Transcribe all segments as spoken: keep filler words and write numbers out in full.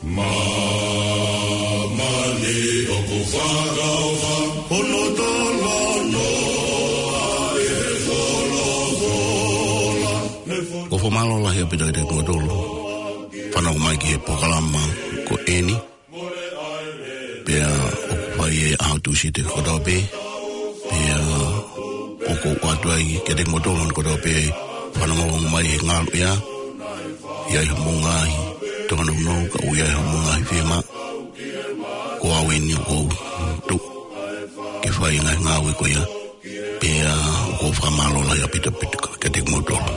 Māmani ʻoku fakaʻofa, hono tolonō ʻa e folofola. Ko e fakamālō lahi ʻaupito kiate kimoutolu fanongo mai ki he polokalama ko eni. Pea ʻoku fai ʻi he ʻaho Tūsite kotoa pē. Pea ʻoku ou ʻoatu ai kiate kimoutolu kotoa pē fanongo mai he ngaluʻea. ʻI ai homou ngaahi tōnounou, ka ʻoku ʻi ai homou ngaahi fiemaʻu. Ko au eni ʻoku ou tuʻu ke fai e ngaahi ngāue ko ia. Pea ʻoku ou fakamālō lahi ʻaupito ʻaupito kiate kimoutolu.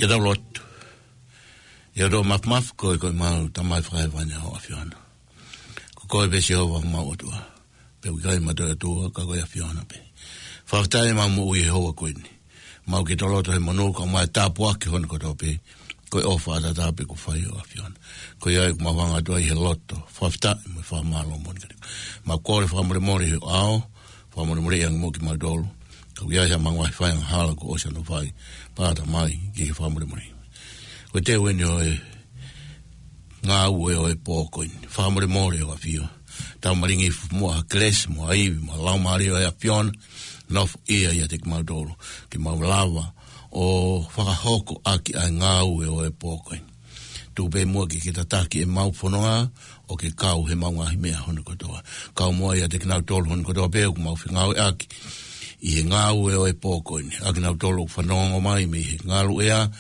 ʻE tau lotu. ʻE ʻOtua Mafimafi, ko e, ko e mau Tamai fakahēvani ʻa ho ʻAfiona. Ko koe pē Sihova mau ʻOtua. Pea ʻoku ʻikai ma toe ʻOtua ka ko e ʻAfiona pē. Fakafetaʻi ʻemau moʻui he houa ko eni. Mau ke toloto he monū ka mau tāpuaki hono kotoa pē. Ko e ʻofa ʻataʻatā pē kuo fai ʻe ho ʻAfiona. Ko ia ʻoku mau hanga atu ai he loto fakafetaʻi mo e fakamālō moʻoni kiate koe. Mau kole fakamolemole he ʻao, fakamolemoleʻi ange muʻa kimautolu. Ka ʻoku ʻi ai haʻamau ngaahi fai angahala kuo ʻosi ʻanofai. Pea Tamai, ke ke fakamolemoleʻi. Ko e teu eni ʻo e ngāue ʻo e pō ko eni. Fakamolemole ʻe ho ʻAfio. Tau malingi hifo muʻa ha kelesi mo ha ivi mo e laumālie ʻo e ʻAfiona. Nofoʻia ʻiate kimautolu. Ke mau lava ʻo fakahoko ʻaki ʻa e ngāue ʻo e pō ko eni. Tuku pē muʻa ke ke tataki ʻemau fononga ʻo ke kau heʻemau ngaahi meʻa hono kotoa. Kau muʻa ʻiate kinautolu hono kotoa pē ʻoku mau fengāueʻaki ʻi he ngāue ʻo e pō ko eni. ʻA kinautolu ʻoku fanongo mai mei he ngaluʻea,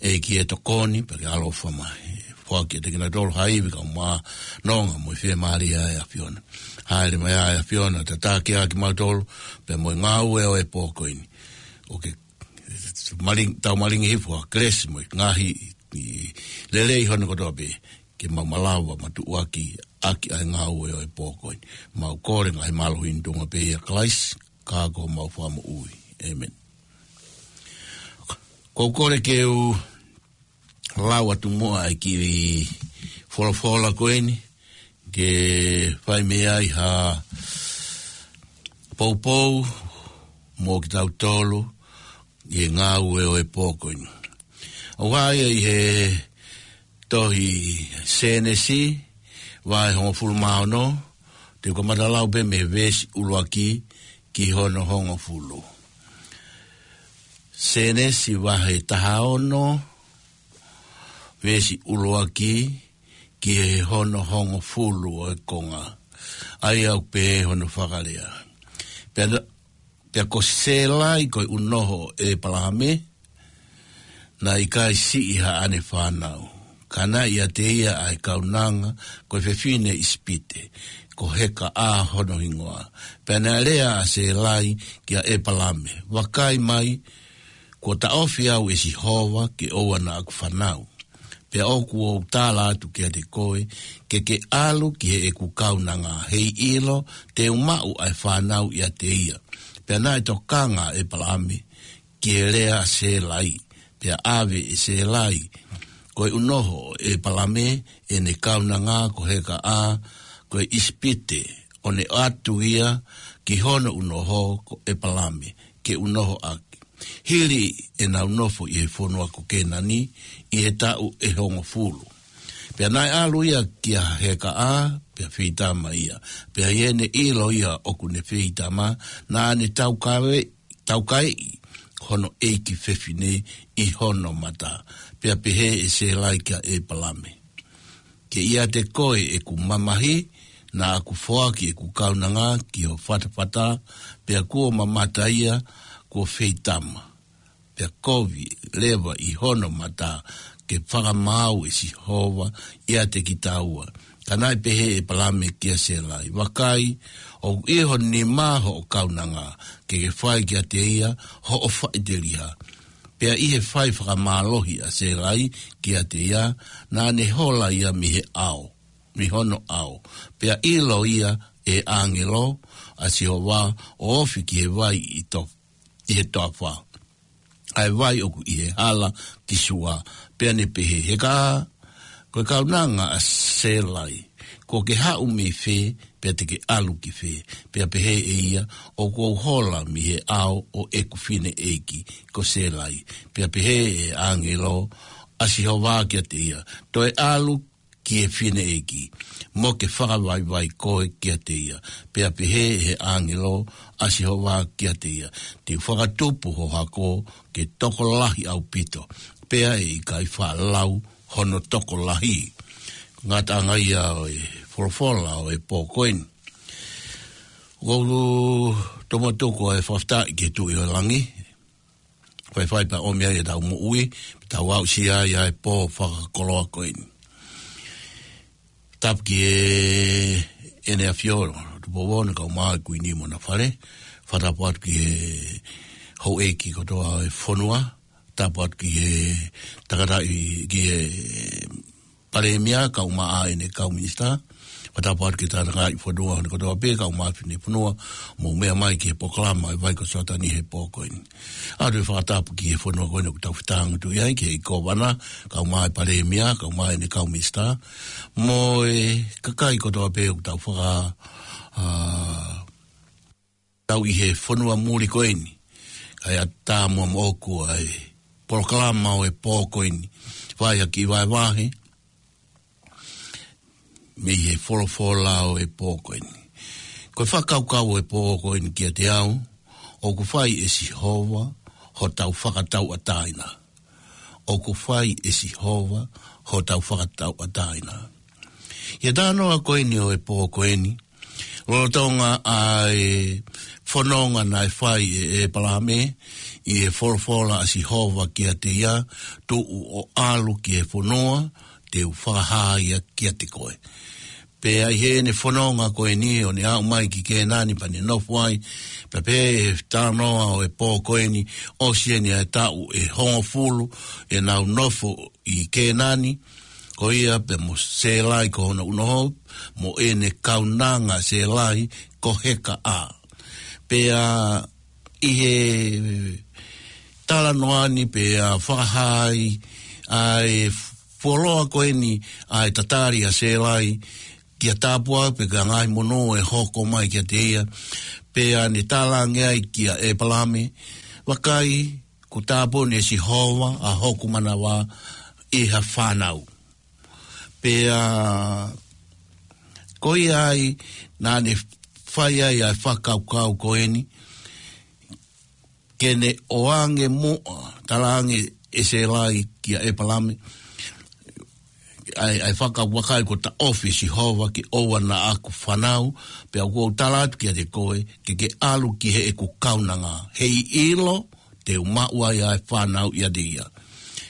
ʻEiki ʻe tokoni, pea ke ʻaloʻofa mai. Foaki ʻiate kinautolu ha ivi kae ʻumaʻā nonga mo e fiemālie ʻa e ʻAfiona. Hāʻele mai ʻa e ʻAfiona, tataki ʻa kimautolu, pea mo e ngāue ʻo e pō ko eni. ʻO ke maling-, tau malingi hifo ha kelesi mo e ngaahi lelei hono kotoa pē, ke mau malava mātuʻaki ʻaki ʻa e ngāue ʻo e pō ko eni. Mau kole ngaahi mālohi ni ʻi he tuʻunga pē ʻia Kalaisi, ka ko homau Fakamoʻui. ʻĒmeni. Ko u kole ke u lau atu muʻa ʻa e kiʻi folofola ko eni, ke fai mei ai ha poupou mo kitautolu ʻi he ngāue ʻo e pō ko eni. ʻOku hā ia ʻi he tohi Sēnesi, vahe hongofulu mā ono, te u kamata lau pē mei he veesi ʻuluaki ki hono hongofulu. Sēnesi vahe taha ono, veesi ʻuluaki ki he hono hongofulu ʻo e konga. ʻA ia ʻoku pehē hono fakalea. Pea, pea ko Sēlai ko e ʻunoho ʻo ʻEpalahame, naʻe ʻikai siʻi haʻane fānau. Ka naʻe ʻiate ia ʻa e kaunanga ko e fefine ʻIsipite, ko Hekaʻā hono hingoa. Pea naʻe lea ʻa Sēlai kia ʻEpalahame, vakai mai, kuo taʻofi au ʻe Sihova ke ʻoua naʻa ku fānau. Pea ʻoku ou tala atu kiate koe, ke ke ʻalu ki heʻeku kaunanga, heiʻilo te u maʻu ʻa e fānau ʻiate ia. Pea naʻe tokanga ʻa ʻEpalahame ki he lea ʻa Sēlai, pea ʻave ʻe Sēlai ko e ʻunoho ʻo ʻEpalahame ʻene kaunanga ko Hekaʻā ko e ʻIsipite, ʻo ne ʻatu ia ki hono ʻunoho ko ʻEpalahame, ke ʻunoho ʻaki. Hili ʻenau nofo ʻi he fonua ko Kēnani ʻi he taʻu ʻe hongofulu. Pea naʻe ʻalu ia kia Hekaʻā, pea feitama ia. Pea ʻi heʻene ʻilo ia ʻoku ne feitama, naʻa ne taukae-, taukaeʻi hono ʻeiki fefine ʻi hono mata. Pea pehē ʻe Sēlai kia ʻEpalahame, ke ʻiate koe ʻeku mamahi, naʻa ku foaki ʻeku kaunanga ki ho fatafata, pea kuo mamata ia, kuo feitama. Pea kovi leva ʻi hono mata ke fakamaau ʻe Sihova ʻiate kitaua. Ka naʻe pehē ʻe ʻEpalahame kia Sēlai, vakai, ʻoku ʻi ho nima hoʻo kaunanga, ke ke fai kiate ia hoʻo faʻiteliha. Pea ʻi he fai fakamālohi ʻa Sēlai kiate ia, naʻa ne hola ia mei he ʻao, mei hono ʻao. Pea ʻilo ia ʻe he ʻāngelo ʻa Sihova ʻo ofi ki he vai ʻi to-, ʻi he toafa, ʻa e vai ʻoku ʻi he hala ki Sua. Pea ne pehē, Hekaʻā, ko e kaunanga ʻa Sēlai, kuo ke haʻu mei fē, pea te ke ʻalu ki fē? Pea pehē ʻe ia, ʻoku ou hola mei he ʻao ʻo ʻeku fineʻeiki ko Sēlai. Pea pehē ʻe he ʻāngelo ʻa Sihova kiate ia, toe ʻalu ki he fineʻeiki, mo ke fakavaivai koe kiate ia. Pea pehē ʻe he ʻāngelo ʻa Sihova kiate ia, te u fakatupu ho hako ke tokolahi ʻaupito, pea ʻe ʻikai faʻa lau hono tokolahi. Ngataʻanga ia ʻo e folofola ʻo e pō ko eni. ʻOku ou tomuʻa tuku ʻa e fakafetaʻi ki he Tuʻi ʻo e langi, faifai pea ʻomi ai ʻetau moʻui, pea tau aʻusia ai ʻa e pō fakakoloa ko eni. Tapu ki he ʻEne ʻAfio, Tupou Ono, kae ʻumaʻā e Kuini mo ʻena fale, fakatapu atu ki he houʻeiki kotoa ʻo e fonua, tapu atu ki he tangataʻi, ki he Palēmia, kae ʻumaʻā ʻene kau minisitā. Fakatapu atu ki he tangataʻi fonua hono kotoa pē, kae ʻumaʻā e Finefonua, mou meʻa mai ki he polokalama ʻa e Vai ko Soatani he pō ko eni. ʻOatu e fakatapu ki he fonua ko eni ʻoku tau fetāngutuʻi ai, ki he Kōvana, kae ʻumaʻā e Palēmia, kae ʻumaʻā ʻene kau minisitā. Mo e kakai kotoa pē ʻoku tau faka-, ā, tau ʻi he fonua muli ko eni. Kae ʻatā muʻa moʻoku ʻa e polokalama ʻo e pō ko eni. Fai ha kiʻi vahevahe mei he folofola ʻo e pō ko eni. Ko e fakakaukau ʻo e pō ko eni kiate au, ʻoku fai ʻe Sihova hotau fakatauʻatāina. ʻOku fai ʻe Sihova hotau fakatauʻatāina. ʻI he talanoa ko eni ʻo e pō ko eni, lolotonga ʻa e fononga naʻe fai ʻe ʻĒpalame, ʻi he folofola ʻa Sihova kiate ia, tuʻu ʻo ʻalu ki he fonua te u fakahā ia kiate koe. Pea ʻi heʻene fononga ko eni ʻo ne aʻu mai ki Kēnani pea ne nofo ai, pea pehē ʻe he talanoa ʻo e pō ko eni, ʻosi eni ʻa e taʻu ʻe hongofulu ʻenau nofo ʻi Kēnani, ko ia pea mo Sēlai ko hono ʻunoho, mo ʻene kaunanga Sēlai ko Hekaʻā. Pea ʻi he talanoa ni pea fakahā ai ʻa e fuoloa ko eni ʻa e tatali ʻa Sēlai kia Tāpua pe ko e ngaahi monū ʻe hoko mai kiate ia. Pea ne talaange ai kia ʻĒpalame, vakai, kuo tāpuni ʻe Sihova ʻa hoku manava ʻi ha fānau. Pea ko ia ai naʻa ne fai ai ʻa e fakakaukau ko eni, ke ne ʻoange muʻa, talaange ʻe Sēlai kia ʻĒpalame, ʻa e, ʻa e fakakaukau, vakai, kuo taʻofi ʻe Sihova ke ʻoua naʻa ku fānau, pea ʻoku ou tala atu kiate koe, ke ke ʻalu ki heʻeku kaunanga, heiʻilo te u maʻu ai ʻa e fānau ʻiate ia.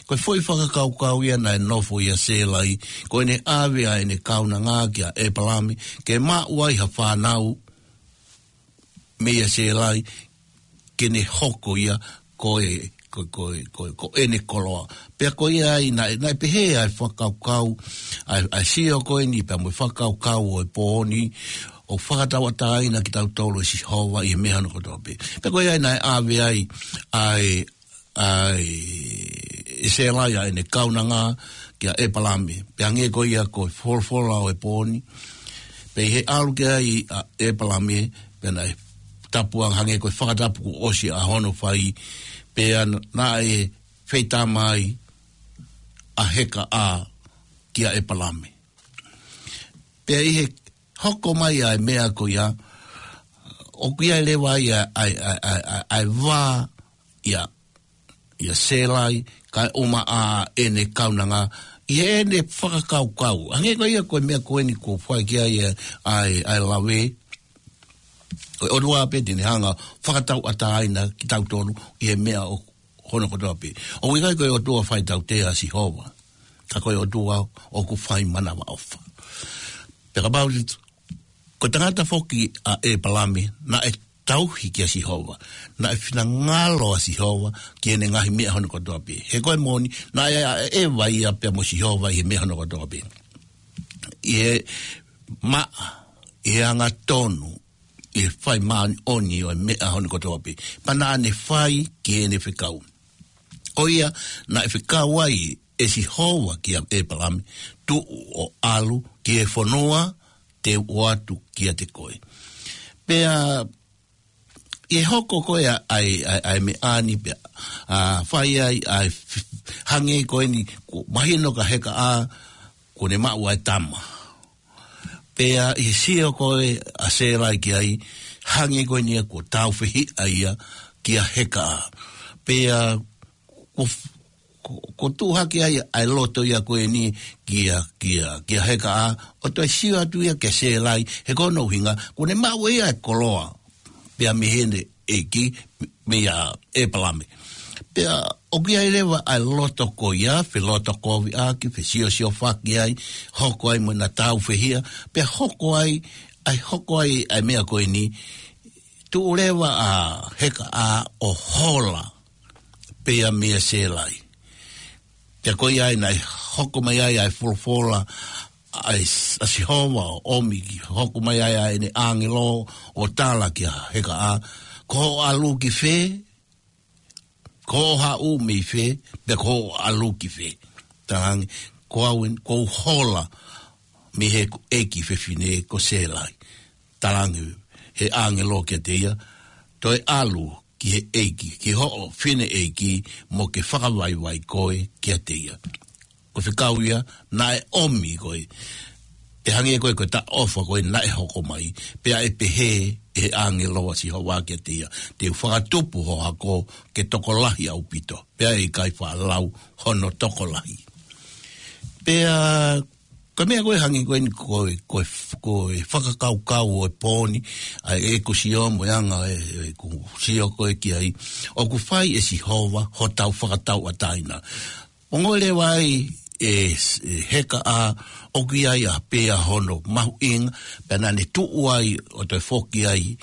Ko e foʻi fakakaukau ia naʻe nofo ʻia Sēlai, ko ʻene ʻave ʻa ʻene kaunanga kia ʻĒpalame, ke maʻu ai ha fānau meia Sēlai, ke ne hoko ia ko e, ko, ko, ko, ko ʻene koloa. Pea ko ia ai naʻe, naʻe pehē ʻa e fakakaukau, ʻa e, ʻa e sio ko eni pea mo e fakakaukau ʻo e pō ni, ʻoku fakatauʻatāina kitautolu ʻe Sihova ʻi he meʻa hono kotoa pē. Pea ko ia ai naʻe ʻave ai ʻa e, ʻa e, ʻe Sēlai ʻa ʻene kaunanga kia ʻĒpalame. Pea hangē ko ia ko e folofola ʻo e pō ni. Pea ʻi he ʻalu ki ai ʻa ʻĒpalame, pea naʻe tapu ange, hangē ko e fakatapu kuo ʻosi ʻa hono fai, pea naʻe feitama ai ʻa Hekaʻā kia ʻĒpalame. Pea ʻi he hoko mai ʻa e meʻa ko ia, ʻoku ʻi ai leva ia ʻa e, ʻa e, ʻa e, ʻa e, ʻa e vā ʻia, ʻia Sēlai, kae ʻumaʻā ʻene kaunanga, ʻi heʻene fakakaukau. Hangē ko ia ko e meʻa ko eni kuo fai ki ai ʻa e, ʻa e, ʻa e lave, ko e ʻOtua pē te ne hanga fakatauʻatāina kitautolu ʻi he meʻa ʻo hono kotoa pē. ʻOku ʻikai ko e ʻOtua faitautea ʻa Sihova, ka ko e ʻOtua ʻoku fai manavaʻofa. Pea kapau te, ko e tangata foki ʻa ʻĒpalame, naʻe tauhi kia Sihova, naʻe finangalo ʻa Sihova ki heʻene ngaahi meʻa hono kotoa pē. He ko e moʻoni, naʻe ʻaʻeva ia pea mo Sihova ʻi he meʻa hono kotoa pē. ʻI he maʻa, ʻi he angatonu, ʻi he fai māʻoniʻoni ʻo e meʻa hono kotoa pē. Pea naʻa ne fai ki heʻene fekau. Ko ia, naʻe fekau ai ʻe Sihova kia ʻĒpalame, tuʻu ʻo ʻalu ki he fonua te u ʻoatu kiate koe. Pea ʻi he hoko ko ē ʻa e, ʻa e, ʻa e meʻa ni pea, ʻa, fai ai ʻa e f-, hangē ko eni, kuo mahino kia Hekaʻā, kuo ne maʻu ʻa e tama. Pea ʻi he sio ko ē ʻa Sēlai ki ai, hangē ko eni ia kuo tāufehiʻa ia kia Hekaʻā. Pea kuo f-, kuo, kuo tuʻu hake ai ʻa e loto ia ko eni kia, kia, kia Hekaʻā, ʻo toe sio atu ia kia Sēlai, he ko hono ʻuhinga, kuo ne maʻu ʻe ia ʻa e koloa pea mei heʻene ʻeiki, meia ʻĒpalame. Pea ʻoku ʻi ai leva ʻa e loto ko ia, felotokoviʻaki, fesiosiofaki ai, hoko ai mo ʻena tāufehiʻa, pea hoko ai, ʻa e hoko ai ʻa e meʻa ko eni, tuʻu leva ʻa Hekaʻā ʻo hola. pea meia Sēlai. Pea ko ia ai naʻe hoko mai ai ʻa e folofola ʻa e s-, ʻa Sihova ʻo ʻomi ke hoko mai ai ʻa ʻene ʻāngelo ʻo tala kia Heka ʻa, ko hoʻo ʻalu ki fē, ko hoʻo haʻu mei fē, pea ko hoʻo ʻalu ki fē. Talaange, ko au eni, ko u hola mei heʻeku ʻeiki fefine ko Sēlai. Talaange he ʻāngelo kiate ia, toe ʻalu ki he ʻeiki, ki hoʻo fineʻeiki mo ke fakavaivai koe kiate ia. Ko e fekau ia, naʻe ʻomi ko ē. ʻE hangē ko ē ko e taʻofa ko ē naʻe hoko mai. Pea ʻe pehē ʻe he ʻāngelo ʻa Sihova kiate ia, te u fakatupu ho hako ke tokolahi ʻaupito. Pea ʻe ʻikai faʻa lau hono tokolahi. Pea ko e meʻa ko ē hangē ko eni ko e, ko e, ko e fakakaukau ʻo e pō ni, ʻa ʻeku sio mo e anga ʻe, ʻeku sio ko ē ki ai, ʻoku fai ʻe Sihova hotau fakatauʻatāina. Ongoʻi leva ai ʻe, ʻe Heka ʻa, ʻoku ʻi ai ʻa pē ʻa hono mahuʻinga, pea naʻa ne tuʻu ai ʻo toe foki ai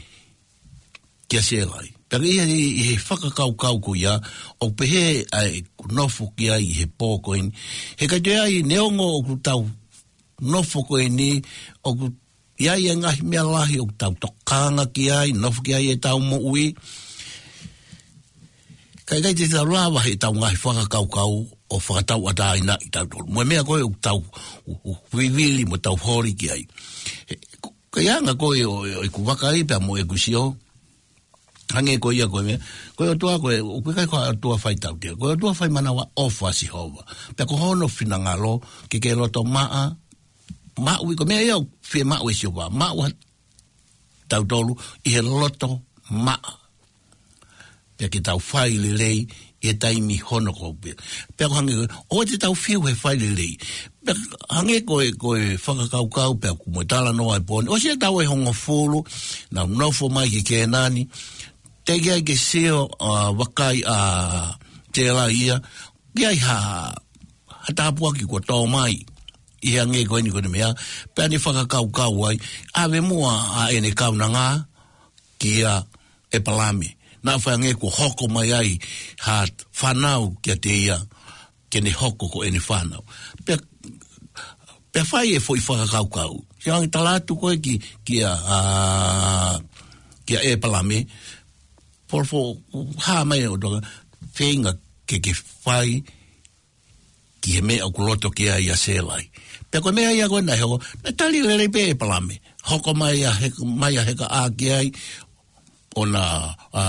kia Sēlai. Pea ʻi he, ʻi he fakakaukau ko ia, ʻoku pehē ʻa ʻeku nofo ki ai ʻi he pō ko eni. He ʻikai toe ʻi ai, neongo ʻoku tau nofo ko eni, ʻoku ʻi ai e ngaahi meʻa lahi ʻoku tau tokanga ki ai, nofo ki ai ʻetau moʻui. Ka ʻikai te tau lava heʻetau ngaahi fakakaukau ʻo fakatauʻatāinaʻi kitautolu. Mo e meʻa ko ē ʻoku tau u-, u-, vivili mo tau holi ki ai. He, ko, ko e anga ko ē ʻo, ʻo ʻeku vakai pea mo ʻeku sio. Hangē ko ia ko e meʻa, ko e ʻOtua ko ē, ʻoku ʻikai ko e ʻOtua fai tautea. Ko e ʻOtua fai manavaʻofa ʻa Sihova. Pea ko hono finangalo, ke ke loto maʻa, maʻu ʻi ko e meʻa ia ʻoku fiemaʻu ʻe Sihova. Maʻu ha tautolu ʻi he loto maʻa. Pea ke tau fai lelei ʻi he taimi hono ko ē pē. Pea ko e hangē, ʻoua te tau fiu he fai lelei. Pea hangē ko e, ko e fakakaukau pea ʻoku mo e talanoa ʻi he pō ni. ʻOsi ʻetau ʻe hongofulu, naʻa nau nofo mai ki Kēnani. Teʻeki ai ke sio, ʻa, vakai ʻa Tēlai ia. ʻI ai ha, ha tāpuaki kuo tō mai. ʻI he hangē ko eni ko eni meʻa. Pea ne fakakaukau ai. ʻAve muʻa ʻa ʻene kaunanga kia ʻĒpalame. Naʻa fai hangē kuo hoko mai ai ha fānau kiate ia, ke ne hoko ko ʻene fānau. Pea, pea fai e foʻi fakakaukau. Ke ange tala atu ko ē ki, kia, ʻa, kia ʻĒpalame. Folofola, hā mai ʻa e ʻOtua, feinga ke ke fai ki he meʻa ʻoku loto ki ai ʻa Sēlai. Pea ko e meʻa ia ko ē naʻe hoko, naʻe tali lelei pē ʻĒpalame. Hoko mai ʻa He-, mai ʻa Heka ʻa ki ai, ʻo na, ʻa,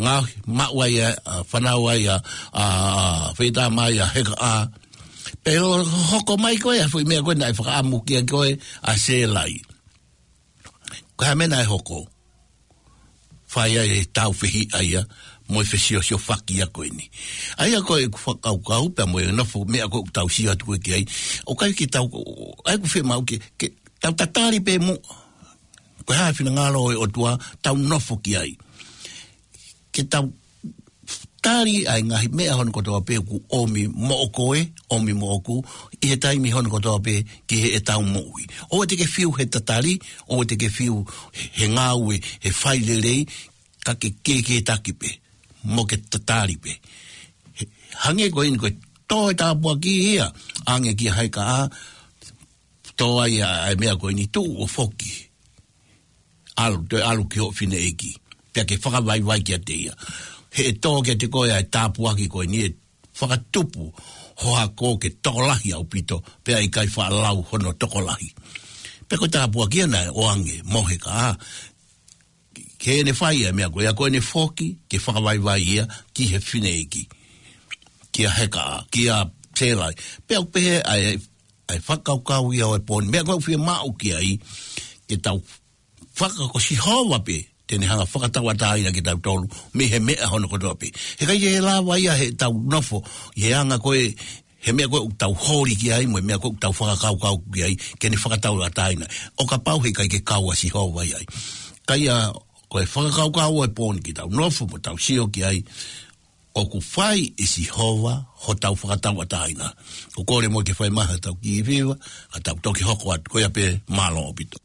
ngaohi, maʻu ai ʻa, ʻa, fānau ai ʻa, ʻa, ʻa, feitā mai ʻa Heka ʻa. Pea ʻo hoko mai ko ē, foʻi meʻa ko ē naʻe fakaʻamu ki ai ko ē ʻa Sēlai. Ko e hā e meʻa naʻe hoko. Fai ai e tāufehiʻa ia, mo e fesiosiofaki ia ko eni. ʻA ia ko ʻeku fakakaukau, pea mo e nofo meʻa ko ē ʻoku tau sio atu ko ē ki ai. ʻOku ʻikai ke tau, ʻa ia ʻoku fiemaʻu ke, ke tau tatali pē muʻa. Ko e hā e finangalo ʻo e ʻOtua, tau nofo ki ai. Ke tau tali ʻa e ngaahi meʻa hono kotoa pē ʻoku ʻomi moʻoku ē, ʻomi moʻoku, ʻi he taimi hono kotoa pē ki heʻetau moʻui. ʻOua te ke fiu he tatali, ʻoua te ke fiu he ngāue, he fai lelei, ka ke kēkētaki pē, mo ke tatali pē. He, hangē ko eni ko e tō e tāpuaki ia, ange kia Heka ʻa, tō ai ʻa, ʻa e meʻa ko eni tuʻu ʻo foki. ʻAlu, toe ʻalu ki hoʻo fineʻeiki. Pea ke fakavaivai kiate ia. He ʻe tō kiate koe ʻa e tāpuaki ko eni ʻe fakatupu ho hako ke tokolahi ʻaupito, pea ʻe ʻikai faʻa lau hono tokolahi. Pea ko e tāpuaki ia naʻe ʻoange mo Heka ʻa, ke ne fai ʻa e meʻa ko ia ko ʻene foki, ke fakavaivai ia ki he fineʻeiki. Kia Heka ʻa, kia Sēlai. Pea ʻoku pehē ʻa e, ʻa e fakakaukau ia ʻo e pō ni. Meʻa ko ē ʻoku fiemaʻu ki ai, ke tau faka-, ko Sihova pē te ne hanga fakatauʻatāina kitautolu mei he meʻa hono kotoa pē. He ʻikai ke lava ia heʻetau nofo ʻi he anga ko ē, he meʻa ko ē ʻoku tau holi ki ai, mo e meʻa ko ē ʻoku tau fakakaukau ki ai, ke ne fakatauʻatāina. ʻO kapau he ʻikai ke kau ʻa Sihova ʻi ai. Ka ia, ko e fakakaukau ʻo e pō ni ke tau nofo mo tau sio ki ai, ʻoku fai ʻe Sihova hotau fakatauʻatāina. ʻOku kole muʻa ke fai mai haʻatau kiʻi fiva, ka tau toki hoko atu, ko ia pē, mālō ʻaupito.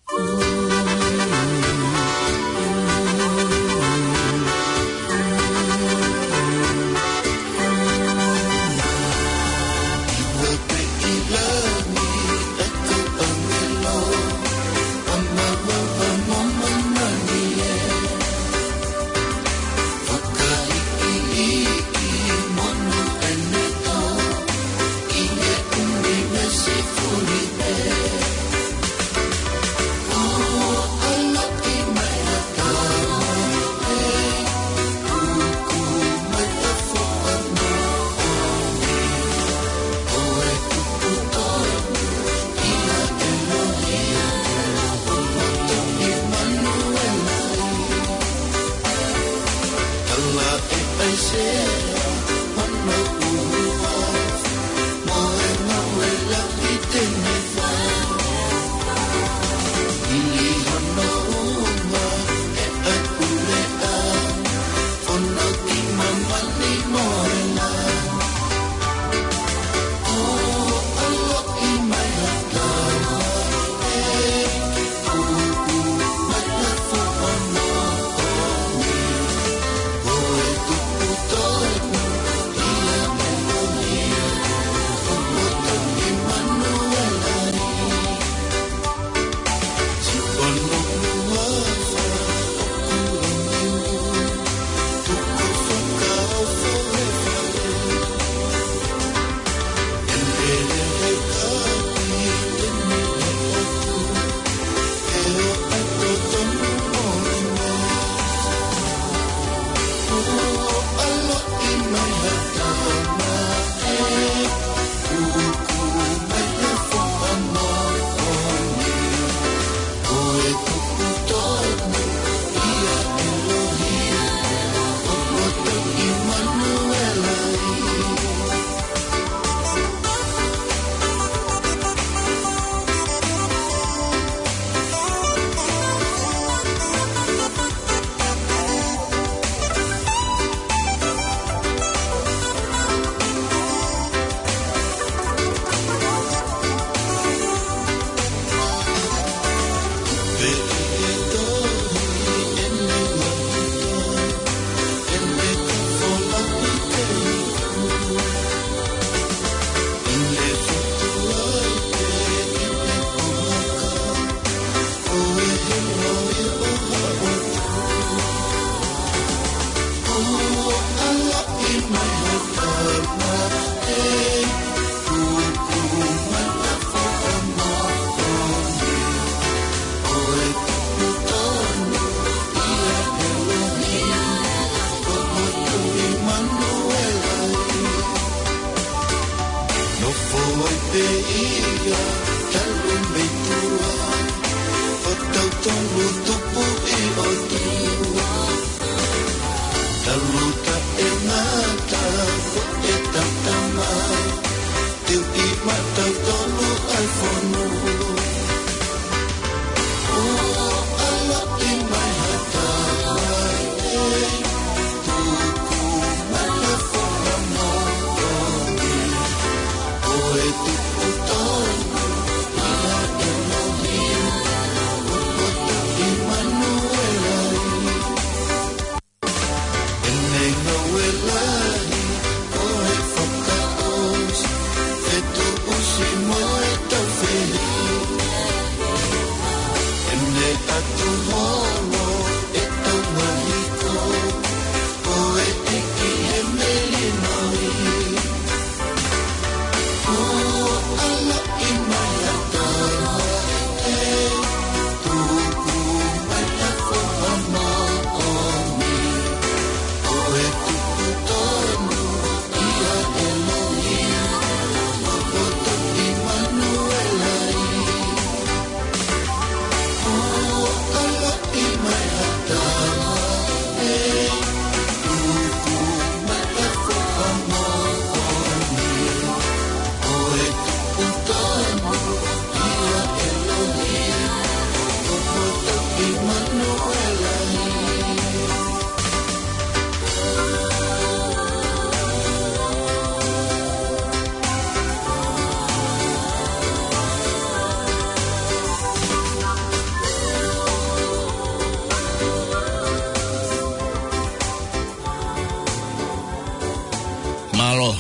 Mālō,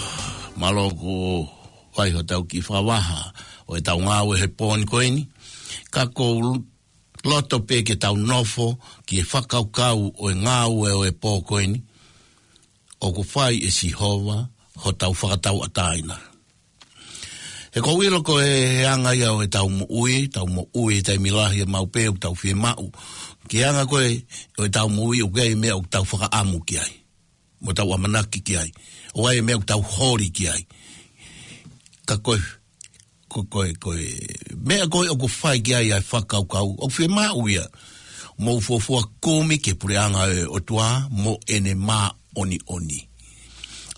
mālō ko ʻai hotau kiʻi fakavaha ʻo ʻetau ngāue he pō ni ko eni. Ka ʻoku ou loto pē ke tau nofo ki he fakakaukau ʻo e ngāue ʻo e pō ko eni, ʻoku fai ʻe Sihova hotau fakatauʻatāina. He ʻoku ou ʻilo ko e anga ia ʻo ʻetau moʻui, tau moʻui he taimi lahi ʻe maʻu pē ʻoku tau fiemaʻu ki he anga ko ē ʻo ʻetau moʻui, ʻoku ʻi ai e meʻa ʻoku tau fakaʻamu ki ai mo tau ʻamanaki ki ai. ʻOku ʻi ai e meʻa ʻoku tau holi ki ai. Ka ko e, ko, ko e, ko e meʻa ko ē ʻoku fai ki ai ʻa e fakakaukau, ʻoku fiemaʻu ia. Mou fuofua kumi ki he puleʻanga ʻo e ʻOtua mo ʻene mā- ʻoniʻoni.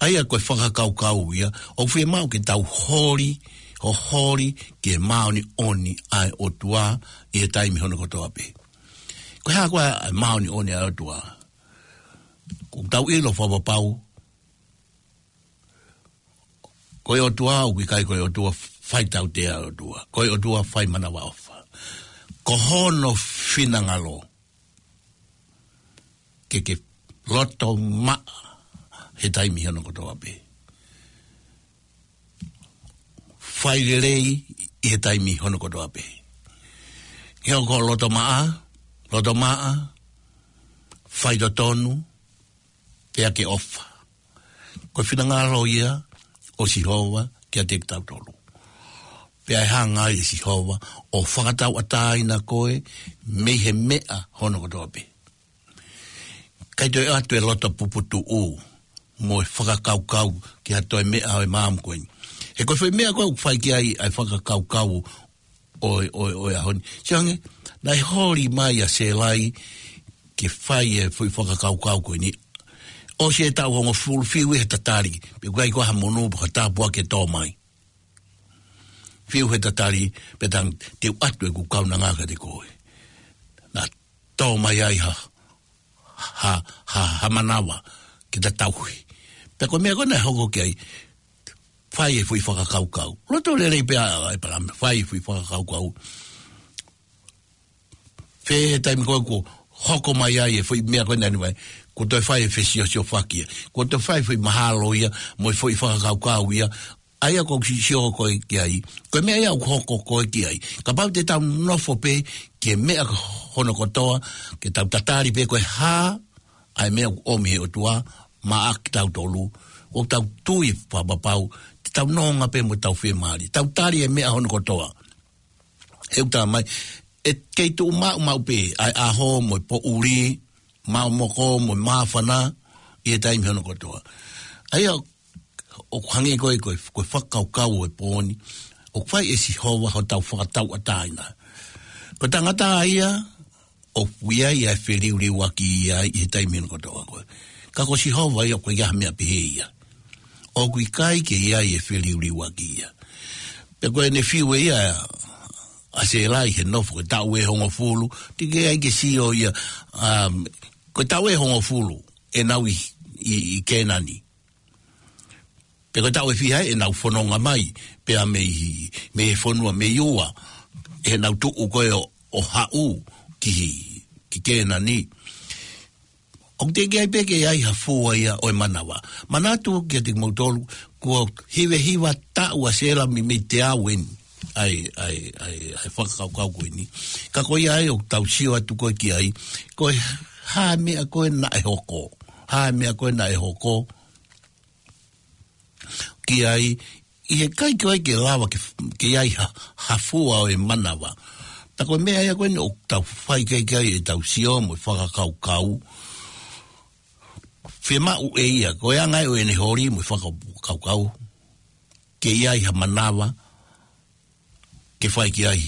ʻA ia ko e fakakaukau ia, ʻoku fiemaʻu ke tau holi, ʻo holi ki he māʻoniʻoni ʻa e ʻOtua ʻi he taimi hono kotoa pē. Ko e hā koā ʻa e māʻoniʻoni ʻa e ʻOtua? ʻOku tau ʻilo fakapapau, ko e ʻOtua ʻoku ʻikai ko e ʻOtua faitautea ʻOtua. Ko e ʻOtua fai manavaʻofa. Ko hono finangalo ke ke loto maʻa he taimi hono kotoa pē. Fai lelei ʻi he taimi hono kotoa pē. He ʻoku loto maʻa, loto maʻa, faitotonu, pea ke ʻofa. Ko e finangalo ia ʻo Sihova kiate kitautolu. Pea ʻe hanga ai ʻe Sihova ʻo fakatauʻatāina koe mei he meʻa hono kotoa pē. ʻIkai toe ʻoatu e loto puputuʻu mo e fakakaukau ki ha toe meʻa ʻo e maama ko eni. He ko e foʻi meʻa ko ē ʻoku fai ki ai ʻa e fakakaukau ʻo e, ʻo e, ʻo e ʻaho ni. Sio ange, naʻe holi mai ʻa Sēlai ke fai e foʻi fakakaukau ko eni. ʻOsi e taʻu hongofulu, fiu he tatali, pe ʻoku ʻikai ko ha monū pe ko ha tāpuaki ʻe tō mai. Fiu he tatali, pea tang te u ʻoatu ʻeku kaunanga kiate koe. Naʻe tō mai ai ha, ha, ha, ha manava ke ta tauhi. Pea ko e meʻa ko ē naʻe hoko ki ai, fai e foʻi fakakaukau. Loto lelei pē ʻa ʻĒpalahame, fai e foʻi fakakaukau. Fē he taimi ko ē kuo hoko mai ai e foʻi meʻa ko ē naʻa ne fai, kuo toe fai e fesiosiofaki ia. Kuo toe fai e foʻi mahalo ia, mo e foʻi fakakaukau ia. ʻA ia ʻoku ou sio ko ē ki ai, ko e meʻa ia ʻoku hoko ko ē ki ai. Kapau te tau nofo pē ki he meʻa hono kotoa, ke tau tatali pē ko e hā ʻa e meʻa ʻoku ʻomi he ʻOtua maʻa kitautolu, ʻoku tau tui fakapapau, te tau nonga pē mo tau fiemālie, tau tali e meʻa hono kotoa. He ʻoku talamai, ʻe kei tuʻu maʻumaʻu pē ʻa e ʻaho mo e poʻuli, maʻu moko mo e māfana, ʻi he taimi hono kotoa. ʻA ia, ʻoku hangē ko e, ko e, ko e fakakaukau ʻo e pō ni, ʻoku fai ʻe Sihova hotau fakatauʻatāina. Ko e tangata ia, ʻoku ʻi ai ʻa e feliuliuaki ia ʻi he taimi hono kotoa ko ē. Ka ko Sihova ia ʻoku ʻikai ha meʻa pehē ia. ʻOku ʻikai ke ʻi ai e feliuliuaki ia. Pea ko ʻene fiu ʻe ia ʻa Sēlai he nofo ko e taʻu ʻe hongofulu, teʻeki ai ke sio ia, um, ko e taʻu ʻe hongofulu ʻenau ʻi, ʻi, ʻi Kēnani. Pea ko e taʻu ʻe fiha ʻenau fononga mai, pea mei, mei he fonua mei ua, ʻenau tuʻu ko ē ʻo, ʻo haʻu ki, ki Kēnani. ʻOku teʻeki ai pē ke ʻi ai ha fua ia ʻo e manava. Manatu kiate kimoutolu, kuo hivahiva taʻu ʻa Sēlai mei, mei te au eni. ʻA e, ʻa e, ʻa e, ʻa e fakakaukau ko eni. Ka ko ia ai ʻoku tau sio atu ko ē ki ai, ko e hā e meʻa ko ē naʻe hoko. Hā e meʻa ko ē naʻe hoko ki ai, ʻi he ʻikai ko ē ke lava ke, ke ʻi ai ha, ha fua ʻo e manava. Pea ko e meʻa ia ko eni ʻoku tau fai ki ai, ki ai ʻetau sio mo e fakakaukau. Fiemaʻu ʻe ia, ko e anga ʻo ʻene holi mo e fakakaukau, ke ʻi ai ha manava, ke fai ki ai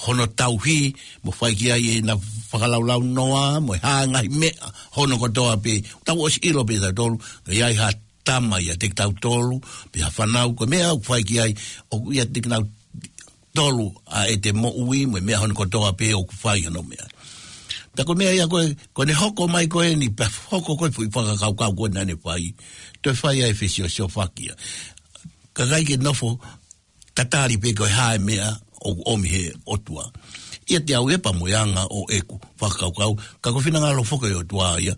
hono tauhi, mo fai ki ai ʻena fakalaulaunoa, mo e hā e ngaahi meʻa hono kotoa pē. Tau ʻosi ʻilo pē tautolu, ka ʻi ai ha tama ʻiate kitautolu, pe ha fānau, ko e meʻa ʻoku fai ki ai, ʻoku ʻiate kinautolu ʻa ʻete moʻui, mo e meʻa hono kotoa pē ʻoku fai hono meʻa. Pea ko e meʻa ia ko ē, ko ʻene hoko mai ko eni, pea hoko ko ē foʻi fakakaukau ko ē naʻa ne fai, toe fai ai e fesiosiofaki ia. Ka ʻikai ke nofo tatali pē ko e hā e meʻa ʻoku ʻomi he ʻOtua. ʻIate au ʻe pā mo e anga ʻo ʻeku fakakaukau, ka ko e finangalo foki ʻo e ʻOtua ia,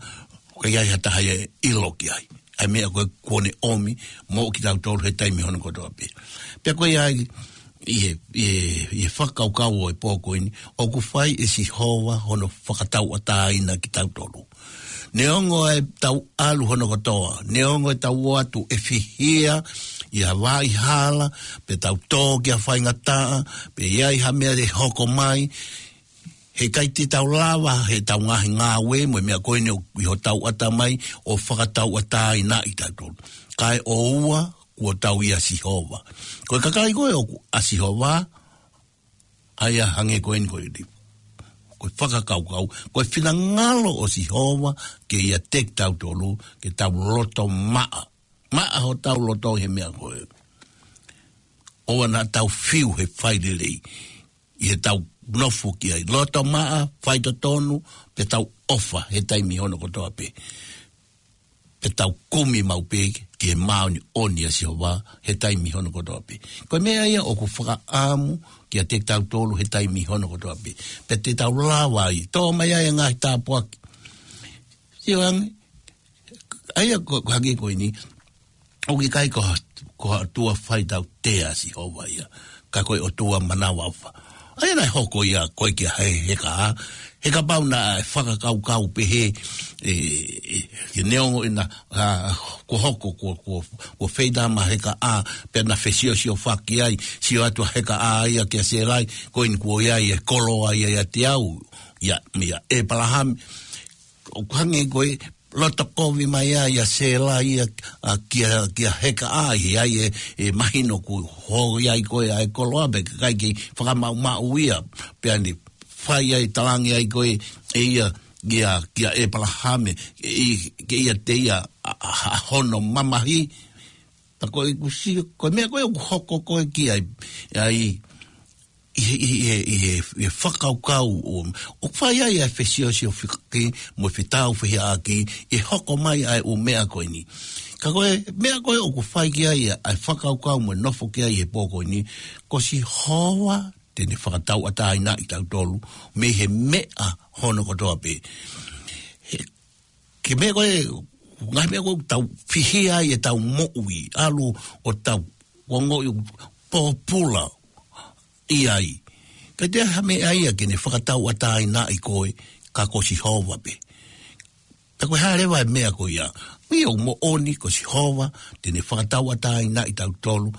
ʻoku ʻikai ha taha ia ʻe ʻilo ki ai. ʻA e meʻa ko ē kuo ne ʻomi, mo kitautolu he taimi hono kotoa pē. Pea ko ia ai, ʻi he, ʻi he, ʻi he fakakaukau ʻo e pō ko eni, ʻoku fai ʻe Sihova hono fakatauʻatāina kitautolu. Neongo ʻetau ʻalu hono kotoa, neongo ʻetau ō atu ʻe fihia ʻi ha vaʻa hala, pe tau tō ki ha faingataʻa, pe ʻi ai ha meʻa ʻe hoko mai, he ʻikai te tau lava, heʻetau ngaahi ngāue, mo e meʻa ko eni ʻoku ʻi hotau ʻatamai, ʻo fakatauʻatāinaʻi kitautolu. Kae ʻoua, kuo tau ʻia Sihova. Ko e kakai ko ē ʻoku ʻa Sihova, ʻa ia hangē ko eni ko eni. Ko e fakakaukau, ko e finangalo ʻo Sihova, ke ʻiate kitautolu, ke tau loto maʻa. maʻa hotau loto he meʻa ko ē. ʻOua naʻa tau fiu he fai lelei ʻi heʻetau nofo ki ai. Loto maʻa, fai totonu, pea tau ʻofa he taimi hono kotoa pē. Pea tau kumi maʻu pē ki he māʻoniʻoni ʻa Sihova he taimi hono kotoa pē. Ko e meʻa ia ʻoku fakaʻamu kiate kitautolu he taimi hono kotoa pē. Pea te tau lava ai. Tō mai ai e ngaahi tāpuaki. Sio ange, ʻa ia ko, ko hangē ko eni, ʻoku ʻikai ko, ko ha ʻOtua fai tautea ʻa Sihova ia, ka ko e ʻOtua manavaʻofa. ʻA ia naʻe hoko ia ko ē kia he, Hekaʻā, he kapau naʻe fakakaukau pē he, ē, ē, ke neongo ʻena, ʻa, ko hoko, ko, ko, ko feitama Hekaʻā, pea na fesiosiofaki ai, sio atu ʻa Hekaʻā ia kia Sēlai, ko eni kuo ʻi ai e koloa ia ʻiate au, ia, ia ʻĒpalahame. ʻOku hangē ko e loto kovi mai ia ʻa Sēlai ia, ʻa, kia, kia Hekaʻā, ʻi ai e, e mahino kuo ʻi ai ko ē ʻa e koloa pea ʻikai ke fakamaʻumaʻu ia, pea ne fai ai talange ai ko ē, ʻe ia, kia, kia ʻĒpalahame, ʻe, ke ʻiate ia ʻa, ʻa, ʻa hono mamahi. Pea ko e kusi, ko e meʻa ko ē ʻoku hoko ko ē ki ai, ai, ʻi he, ʻi he, ʻi he, ʻi he fakakaukau ʻo, ʻoku fai ai ʻa e fesiosiofaki mo e fetāufehiʻaki, ʻe hoko mai ʻa e ʻū meʻa ko eni. Ka ko e meʻa ko ē ʻoku fai ki ai ʻa e fakakaukau mo e nofo ki ai he pō ko eni, ko Sihova te ne fakatauʻatāinaʻi kitautolu mei he meʻa hono kotoa pē. He, ke meʻa ko ē, ngaahi meʻa ko ē ʻoku tau fihia ai ʻetau moʻui, ʻalu ʻo tau ongoʻi pōpula ʻi ai. Ka ʻikai ha meʻa ia ke ne fakatauʻatāinaʻi koe, ka ko Sihova pē. Pea ko e hā leva e meʻa ko ia? Ia ʻoku moʻoni ko Sihova te ne fakatauʻatāinaʻi kitautolu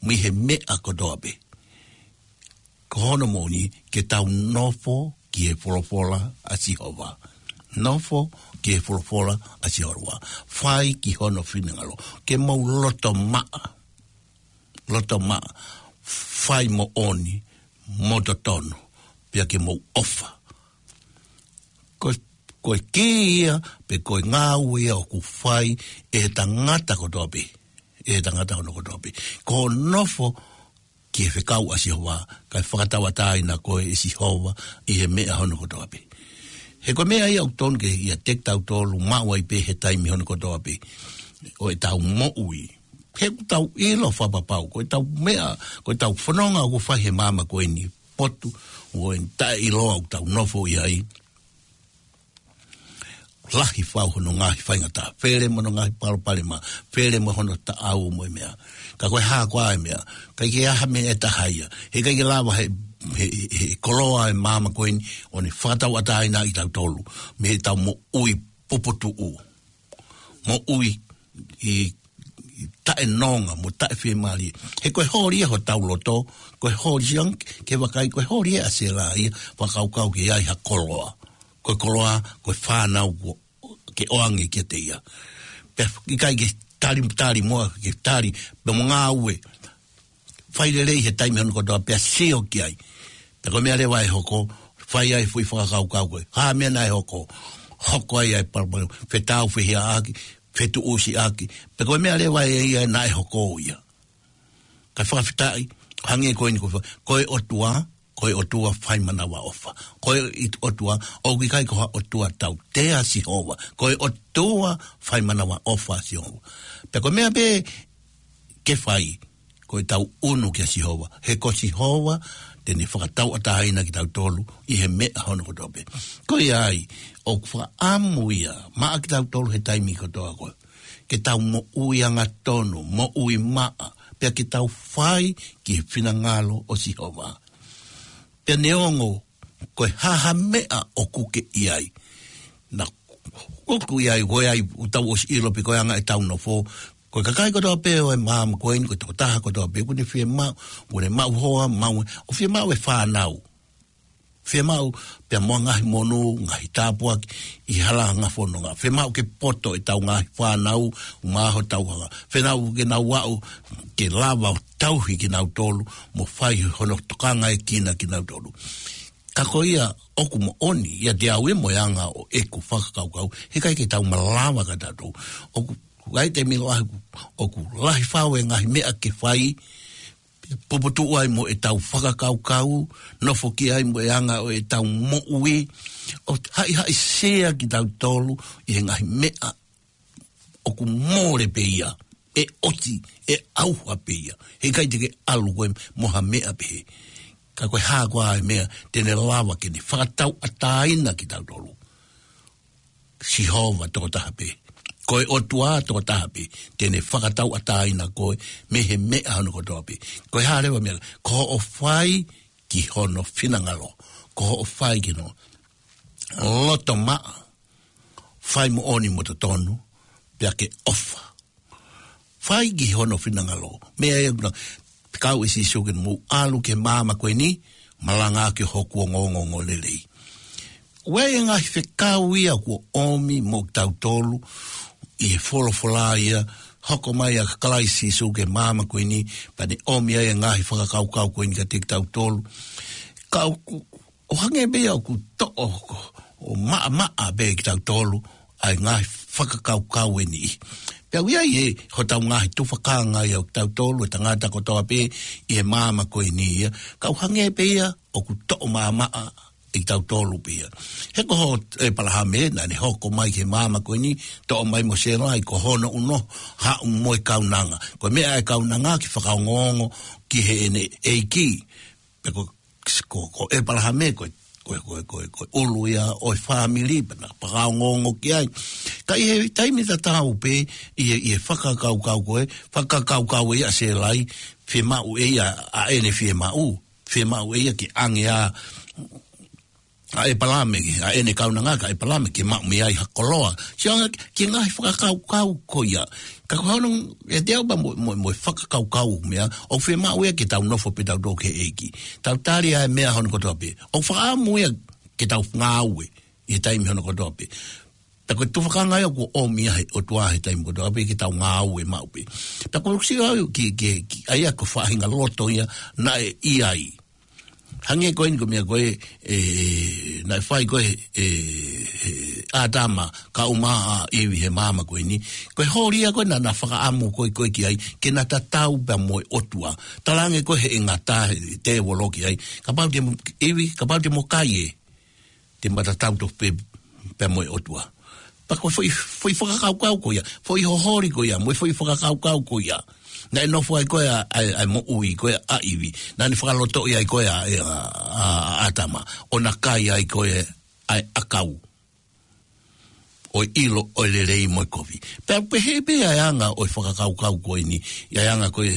mei he meʻa kotoa pē. Ko hono moʻoni ke tau nofo ki he folofola ʻa Sihova. Nofo ki he folofola ʻa Sihova. Fai ki hono finangalo. Ke mou loto maʻa. Loto maʻa. Fai moʻoni, mo totonu. Pea ke mou ʻofa. Ko, ko e kī ia, pe ko e ngāue ia ʻoku fai ʻe he tangata kotoa pē. ʻE he tangata hono kotoa pē. Ko hoʻo nofo ki he fekau ʻa Sihova, kae fakatauʻatāina koe ʻe Sihova ʻi he meʻa hono kotoa pē. He ko e meʻa ia ʻoku tonu ke ʻiate kitautolu maʻu ai pē he taimi hono kotoa pē ʻo ʻetau moʻui. He ʻoku tau ʻilo fakapapau, ko ʻetau meʻa, ko ʻetau fononga ʻoku fai he māmani ko eni, potu, ʻo e taʻeʻiloa ʻoku tau nofo ʻi ai. Lahi fau hono ngaahi faingataʻa, fele mo hono ngaahi palopalema, fele mo hono taʻau mo e meʻa. Ka ko e hā koā e meʻa, ʻikai ke ʻi ai ha meʻa ʻe taha ia. He ʻikai ke lava he, he, he koloa e māmani ko eni ʻo ne fakatauʻatāinaʻi kitautolu mei heʻetau moʻui puputuʻu. Moʻui ʻi, ʻi taʻenonga mo taʻefiemālie. He ko e holi ia hotau loto, ko e holi ia ke vakai, ko e holi ia ʻa Sēlai ia, fakakaukau ke ʻi ai ha koloa. Ko e koloa, ko e fānau kuo ke ʻoange kiate ia. Pea ʻikai ke tali, tali mo, ke tali, pea mo ngāue. Fai lelei he taimi hono kotoa pea sio ki ai. Pea ko e meʻa leva ʻe hoko, fai ai foʻi fakakaukau ko ē. Hā meʻa naʻe hoko, hoko ai ʻa e palopalema, fetāufehiʻaki, fetuʻusiʻaki. Pea ko e meʻa leva ʻe ia naʻe hoko ia. Kae fakafetaʻi, hangē ko eni ko e fa-, ko e ʻOtua, ko e ʻOtua fai manavaʻofa. Ko e ʻOtua, ʻoku ʻikai ko ha ʻOtua tautea ʻa Sihova. Ko e ʻOtua fai manavaʻofa ʻa Sihova. Pea ko e meʻa pē ke fai, ko ʻetau ʻunu kia Sihova. He ko Sihova, te ne fakatauʻatāina kitautolu ʻi he meʻa hono kotoa pē. Ko ia ai, ʻoku fakaʻamu ia, maʻa kitautolu he taimi kotoa ko ē. Ke tau moʻui angatonu, moʻui maʻa, pea ke tau fai ki he finangalo ʻo Sihova. Pea neongo, ko e hā ha meʻa ʻoku ke ʻi ai. Naʻa, ʻoku ʻi ai, ko e ʻai, ʻoku tau ʻosi ʻilo pe ko e anga ʻetau nofo. Ko e kakai kotoa pē ʻo e māmani ko eni, ko e tokotaha kotoa pē, ʻoku ne fiemaʻu, ʻoku ne maʻu hoa, maʻu, ʻoku fiemaʻu e fānau. Fiemaʻu, pea mo e ngaahi monū, ngaahi tāpuaki, ʻi he hala ʻo e ngaahi fononga. Fiemaʻu ke poto ʻetau ngaahi fānau, ʻumaʻā hotau hala. Fiemaʻu ke nau aʻu, ke lava ʻo tauhi kinautolu, mo fai hono tokangaekina kinautolu. Ka ko ia ʻoku moʻoni, ʻiate au ia mo e anga ʻo ʻeku fakakaukau, he ʻikai ke tau malava kitautolu. ʻOku ʻi ai e taimi lahi ʻoku ʻoku lahi fau e ngaahi meʻa ke fai, puputuʻu ai mo ʻetau fakakaukau, nofo ki ai mo e anga ʻo ʻetau moʻui, ʻo haʻihaʻi sea kitautolu ʻi he ngaahi meʻa ʻoku mole pē ia, ʻe ʻoti, ʻe ʻauha pē ia. He ʻikai te ke ʻalu koe mo ha meʻa pehē. Ka ko e hā koā e meʻa te ne lava ke ne fakatauʻatāina kitautolu? Sihova tokotaha pē. Ko e ʻOtua tokotaha pē te ne fakatauʻatāina koe mei he meʻa hono kotoa pē. Ko e hā leva e meʻa? Ko hoʻo fai ki hono finangalo. Ko hoʻo fai ki hono loto maʻa, fai moʻoni mo totonu, pea ke ʻofa. Fai ki hono finangalo. Meʻa ia ʻoku na kau ʻe Sīsū ke mou ʻalu ki he maama ko eni, malanga ki hoku ongoongo lelei. ʻOku ʻi ai e ngaahi fekau ia kuo ʻomi mo kitautolu ʻi he folofola ia, hoko mai ʻa Kalaisi Sīsū ki he maama ko eni, pea ne ʻomi ai e ngaahi fakakaukau ko eni kiate kitautolu. Ka ʻoku ʻo hangē pē ia ʻoku toʻo ko, ʻo maʻamaʻa pē kitautolu ʻa e ngaahi fakakaukau eni. Pea ʻoku ʻi ai e hotau ngaahi tufakanga ia ʻo kitautolu, e tangata kotoa pē ʻi he maama ko eni ia. Ka ʻoku hangē pē ia ʻoku toʻo maʻamaʻa ʻe kitautolu pē ia. He ko ho ʻEpalahame naʻa ne hoko mai ki he maama ko eni, toʻo mai mo Sela, ʻi ko hono ʻuno, haʻu mo e kaunanga. Ko e meʻa e kaunanga ke fakaongoongo ki heʻene ʻeiki. Pea ko ko, ko ʻEpalahame, ko, ko, ko, ko, ko ʻulu ia ʻo e fāmili, pea na fakaongoongo ki ai. Ka ʻi he taimi tatau pē, ʻi he, ʻi he fakakaukau ko ē, fakakaukau ʻe ia ʻa Sela, fiemaʻu ʻe ia ʻa ʻene fiemaʻu, fiemaʻu ʻe ia ke ʻange ʻa, ʻa ʻEpalahame, ʻa ʻene kaunanga, ka ʻEpalahame ke maʻu mei ai ha koloa. Sio ange ki he ngaahi fakakaukau ko ia. Ka ko hono, ʻe te au pea mo, mo, mo e fakakaukau meʻa, ʻoku fiemaʻu ia ke tau nofo pē tautolu ki he ʻEiki. Tau tali ʻa e meʻa hono kotoa pē. ʻOku fakaʻamu ia ke tau ngāue ʻi he taimi hono kotoa pē. Pea ko e tufakanga ia kuo ʻomi ia he ʻOtua he taimi kotoa pē ke tau ngāue maʻu pē. Pea ko e sio au ki, ki, ki, ʻa ia ko e faʻahinga loto ia naʻe ʻi ai. Hangē ko eni ko e meʻa ko ē, ē, naʻe fai ko ē, ē, ē, ʻAtama, kaeʻumaʻā ʻa ʻIvi he maama ko eni. Ko e holi ia ko ē naʻa na fakaʻamu ko ē, ko ē ki ai, ke na tatau pea mo e ʻOtua. Talaange ko ē ʻe he ngata, ʻe he tēvolo ki ai. Kapau te mo, ʻIvi, kapau te mo kai ē, te ma tatau tofu pē, pea mo e ʻOtua. Pea ko e foʻi, foʻi fakakaukau ko ia, foʻi hoholi ko ia, mo e foʻi fakakaukau ko ia. Naʻe nofo ai ko ē ʻa, ʻa, ʻa e moʻui ko ē ʻa ʻIvi. Naʻa ne fakalotoʻi ai ko ē ʻa, ʻa, ʻa, ʻa ʻAtama. ʻO na kai ai ko ē ʻa e ʻakau. ʻO e ʻilo, ʻo e lelei mo e kovi. Pea pehē pē ʻa e anga ʻo e fakakaukau ko eni, ʻa e anga ko ē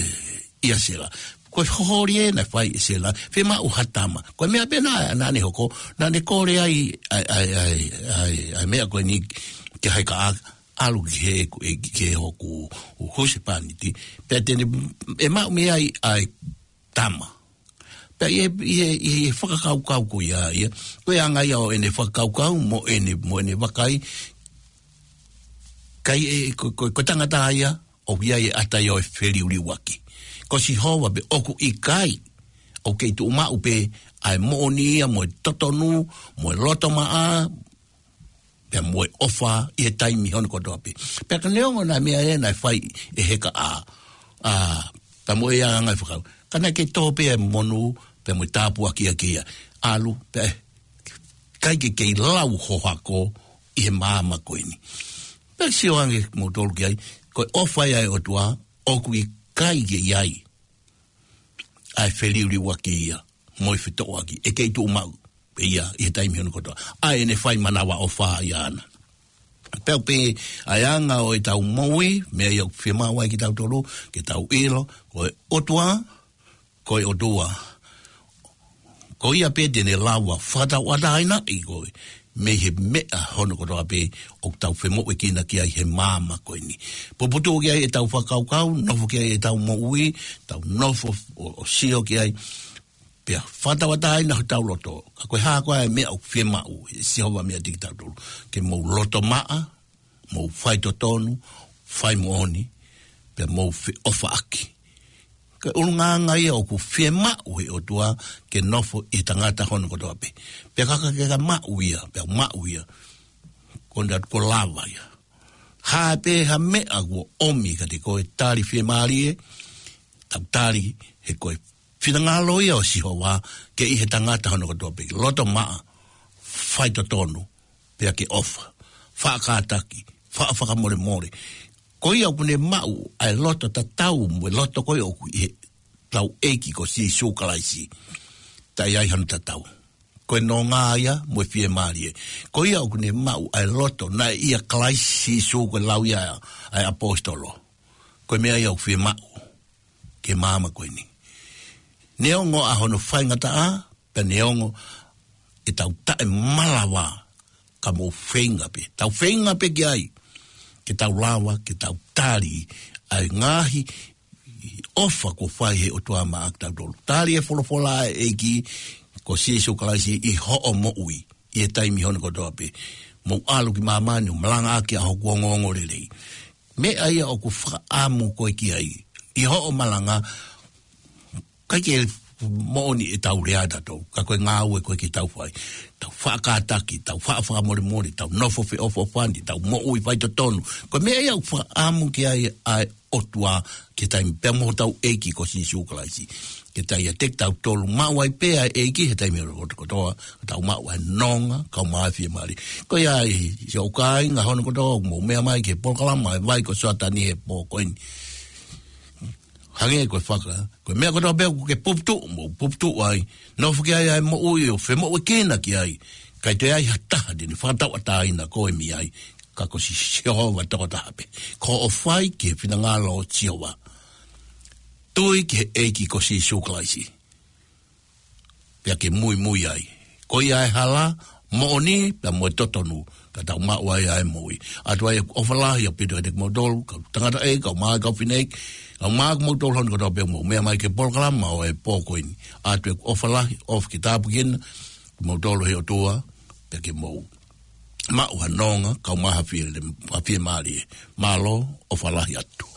ʻia Sela. Ko e hoholi ē naʻe fai ʻe Sela, fiemaʻu ha tama. Ko e meʻa pē naʻa, naʻa ne hoko, naʻa ne kole ai, ʻa e, ʻa e, ʻa e, ʻa e, ʻa e meʻa ko eni ke heka a, ʻalu ki he, ki he hoku husepāniti. Pea te ne, ʻe maʻu mei ai ʻa e tama. Pea ʻi he, ʻi he, ʻi he fakakaukau ko ia ia. Ko e anga ia ʻo ʻene fakakaukau, mo ʻene, mo ʻene vakai. Kai ē, ko, ko, ko e tangata ia, ʻoku ʻi ai e ʻata ia ʻo e feliuliuaki. Ko Sihova pē ʻoku ʻikai, ʻoku kei tuʻu maʻu pē ʻa e moʻoni ia mo e totonu, mo e loto maʻa, pea mo e ʻofa ʻi he taimi hono kotoa pē. Pea ka neongo naʻe meʻa ē naʻe fai ʻe heka a, a, pea mo e anga e fakau. Ka naʻe kei tō pē ʻa e monū, pea mo e tāpuaki ʻa ia. ʻAlu, pea ʻikai ke kei lau ho hako ʻi he maama ko eni. Pea sio ange kimoutolu ki ai, ko e ʻofa ia ʻa e ʻOtua, ʻoku ʻikai ke ʻi ai ʻa e feliuliuaki ia, mo e fetoʻoaki, ʻe kei tuʻu maʻu pē ia, ʻi he taimi hono kotoa. ʻA ʻene fai manavaʻofa ia ʻaʻana. Pea pē, ʻa e anga ʻo ʻetau moʻui, meʻa ia ʻoku fiemaʻu ai kitautolu, ke tau ʻilo, ko e ʻOtua, ko e ʻOtua. Ko ia pē te ne lava fakatauʻatāinaʻi koe mei he meʻa hono kotoa pē ʻoku tau femoʻuekina ki ai he maama ko eni. Puputuʻu ki ai ʻetau fakakaukau, nofo ki ai ʻetau moʻui, tau nofo ʻo, ʻo sio ki ai, pea fakatauʻatāina hotau loto. Ka ko e hā koā e meʻa ʻoku fiemaʻu ʻe Sihova meiate kitautolu. Ke mou loto maʻa, mou faitotonu, fai moʻoni, pea mou feʻofaʻaki. Ko e ʻulungaanga ia ʻoku fiemaʻu ʻe he ʻOtua ke nofo ʻi he tangata hono kotoa pē. Pea ka ke ka maʻu ia, pea maʻu ia. Ko na ko lava ia. Hā pē ha meʻa kuo ʻomi kiate koe, tali fiemālie, tau tali he ko e finangalo ia ʻo Sihova ke ʻi he tangata hono kotoa pē, loto maʻa, faitotonu, pea ke ʻofa, faʻa kātaki, faʻa fakamolemole. Ko ia ʻoku ne maʻu ʻa e loto tatau mo e loto ko ia ʻoku ʻi he tau ʻEiki ko Sīsū Kalaisi. Taʻe ʻi ai hano tatau. Ko e nonga ia mo e fiemālie. Ko ia ʻoku ne maʻu ʻa e loto naʻe ʻia Kalaisi Sīsū, ko e lau ia ʻa e ʻaposetolo. Ko e meʻa ia ʻoku fiemaʻu ki he māmani ko eni. Neongo ʻa hono faingataʻa, pea neongo ʻetau taʻemalava, ka mou feinga pē. Tau feinga pē ki ai. Ke tau lava, ke tau tali ʻa e ngaahi ʻofa kuo fai he ʻOtua maʻa kitautolu. Tali e folofola ʻa e ʻEiki ko Sīsū Kalaisi ʻi hoʻo moʻui ʻi he taimi hono kotoa pē. Mou ʻalu ki māmani ʻo malangaʻaki ʻa hoku ongoongolelei. Meʻa ia ʻoku fakaʻamu koe ki ai. ʻI hoʻo malanga, ʻikai ke moʻoni ʻetau lea ʻatautolu, ka ko e ngāue ko ē ke tau fai. Tau faʻa kātaki, tau faʻa fakamolemole, tau nofo feʻofoʻofani, tau moʻui faitotonu. Ko e meʻa ia ʻoku fakaʻamu ki ai ʻa e ʻOtua ki he taimi pea mo hotau ʻEiki ko Sīsū Kalaisi. Ke tau ʻiate kitautolu maʻu ai pē ʻa e ʻEiki he taimi kotoa, ka tau maʻu ʻa e nonga, kae ʻumaʻā e fiemālie. Ko ia ai, siʻoku kāinga hono kotoa, mou meʻa mai ki he polokalama ʻa e Vai ko Soatani he pō ko eni. Hangē ko e faka, ko e meʻa kotoa pē ʻoku ke puputuʻu, mou puputuʻu ai. Nofo ki ai ʻa e moʻui ʻo femoʻuekina ki ai. ʻIkai toe ʻi ai ha taha te ne fakatauʻatāina koe mei ai. Ka ko Si-, Sihova tokotaha pē. Ko hoʻo fai ki he finangalo ʻo Sihova. Tui ki he ʻEiki ko Sīsū Kalaisi. Pea ke muimui ai. Ko ia ʻa e hala, moʻoni, pea mo e totonu, ka tau maʻu ai ʻa e moʻui. ʻOatu ai ʻeku ʻofa lahi ʻaupito kiate kimoutolu, kau tangataʻeiki, kau mā, kau fineʻeiki, kau mā, kimoutolu hono kotoa pē mou meʻa mai ki he polokalama ʻo e pō ko eni. ʻOatu ʻeku ʻofa lahi, ʻofa ke tāpuekina kimoutolu he ʻOtua, pea ke mou maʻu ha nonga, kae ʻumaʻā ha fie-, ha fiemālie. Mālō, ʻofa lahi atu.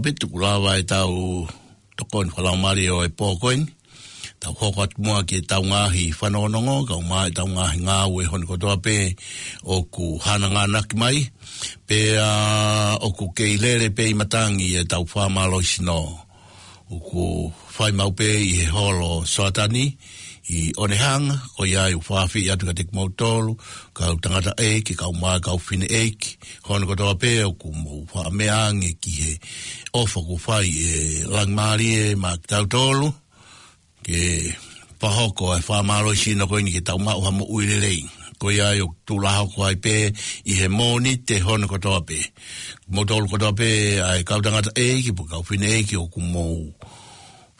Pea tuku lava ʻetau tokoni fakalaumālie ʻo e pō ko eni. Tau hoko atu muʻa ki heʻetau ngaahi fanongonongo, kae ʻumaʻā ʻetau ngaahi ngāue hono kotoa pē ʻoku hananganaki mai. Pea ʻoku kei lele pē ʻi matangi ʻetau fakamālohisino. ʻOku fai maʻu pē ʻi he holo Soatani ʻi ʻOnehanga, ko ia ai ʻoku fakaafeʻi atu kiate kimoutolu, kau tangataʻeiki, kae ʻumaʻā kau fineʻeiki, hono kotoa pē ʻoku mou faʻa meʻa ange ki he ʻofa kuo fai ʻe Langimālie maʻa kitautolu, ke fakahoko ʻa e fakamālohisino ko eni ke tau maʻu ha moʻui lelei. Ko ia ai ʻoku tuʻu hoko ai pē ʻi he Mōnite hono kotoa pē. Moutolu kotoa pē ʻa e kau tangataʻeiki, pe kau fineʻeiki ʻoku mou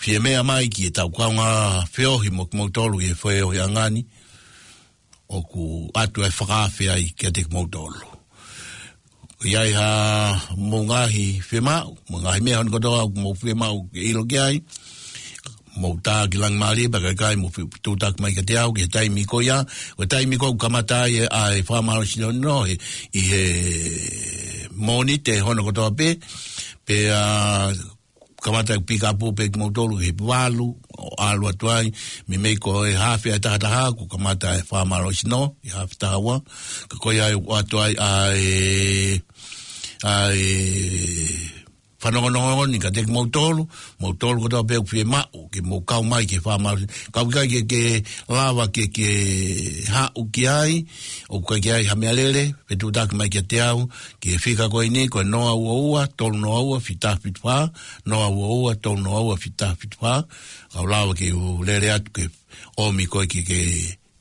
fie meʻa mai ki heʻetau kaungā feohi mo kimoutolu ʻi he feohiʻanga ni, ʻoku ʻoatu ʻa e fakaafe ai kiate kimoutolu. ʻI ai ha mou ngaahi fiemaʻu, mou ngaahi meʻa hono kotoa ʻoku mou fiemaʻu ke ʻilo ki ai, mou tā ki Langimālie, pea ka ʻikai mou fi-, tūtaki mai kiate au ki he taimi ko ia, ko e taimi ko ē ʻoku kamata ai ʻa e fakamālohisino he, ʻi he Mōnite hono kotoa pē, pea kamata ʻeku pikapu pē kimoutolu he valu ʻo ʻalu atu ai, meimei ko e hafe ʻa e taha taha, kuo kamata e fakamālohisino ʻi he hafe taha ua, ka ko ia ai ʻoku ʻoatu ai ʻa e, ʻa e fanongonongo ni kiate kimoutolu, moutolu kotoa pē ʻoku fiemaʻu ke mou kau mai ki he fakamālohisino. Ka ʻoku ʻikai ke, ke lava ke, ke haʻu ki ai, ʻoku ʻikai ke ʻi ai ha meʻalele, fetuʻutaki mai kiate au ki he fika ko eni, ko e noa ua ua, tolu noa ua, fitu taha fitu fā, noa ua ua, tolu noa ua, fitu taha fitu fā. Kau lava ke u lele atu ke ʻomi koe ke, ke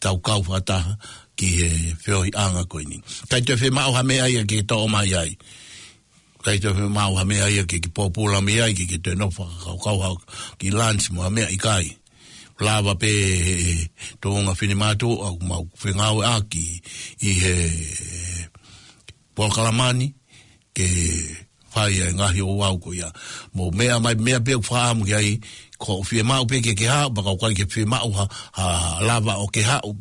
tau kau fakataha ki he feohiʻanga ko eni. ʻIkai toe fiemaʻu ha meʻa ia ke toʻo mai ai. ʻIkai toe fiemaʻu ha meʻa ia ke, ke pōpula mei ai, ke, ke toe nofo fakakaukau ha kiʻi lunch mo ha meʻa, ʻikai. Lava pē he, he tuʻunga finemātuʻa ʻoku mau fengāueʻaki ʻi he polokalama ni, ke fai ʻa e ngaahi ouau ko ia. Mou meʻa mai, meʻa pē ʻoku fakaʻamu ki ai, ko e fiemaʻu pē ke, ke haʻu, pea ka ʻoku ʻikai ke fiemaʻu ha, ha lava ʻo ke haʻu,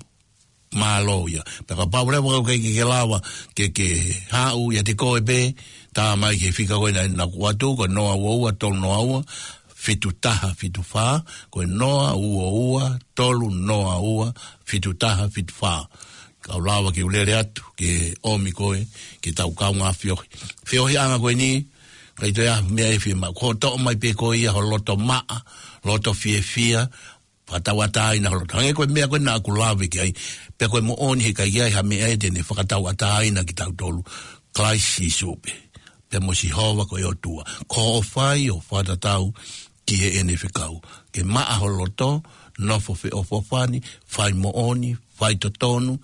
mālō ia. Pea kapau leva ʻoku ʻikai ke, ke lava ke, ke haʻu ʻiate koe pē, tā mai ki he fika ko ena naʻá ku ʻoatu, ko e noa ua ua, tolu noa ua, fitu taha fitu fā, ko e noa ua ua, tolu noa ua, fitu taha fitu fā. Kau lava ke u lele atu ke ʻomi koe ki heʻetau kaungā feohi. Feohiʻanga ko eni, ʻikai toe ʻi ai ha meʻa ʻe fiemaʻu. Ko e toʻo mai pē ko ia ho loto maʻa, loto fiefia, fakatauʻatāina ho loto. Hangē ko e meʻa ko ē naʻá ku lave ki ai, pea ko e moʻoni he ʻikai ʻi ai ha meʻa ʻe te ne fakatauʻatāina kitautolu, Kalaisi Sīsū pē, pea mo Sihova ko e ʻOtua. Ko hoʻo fai ʻo fakatatau ki heʻene fekau. Ke maʻa ho loto, nofo feʻofoʻofani, fai moʻoni, fai totonu,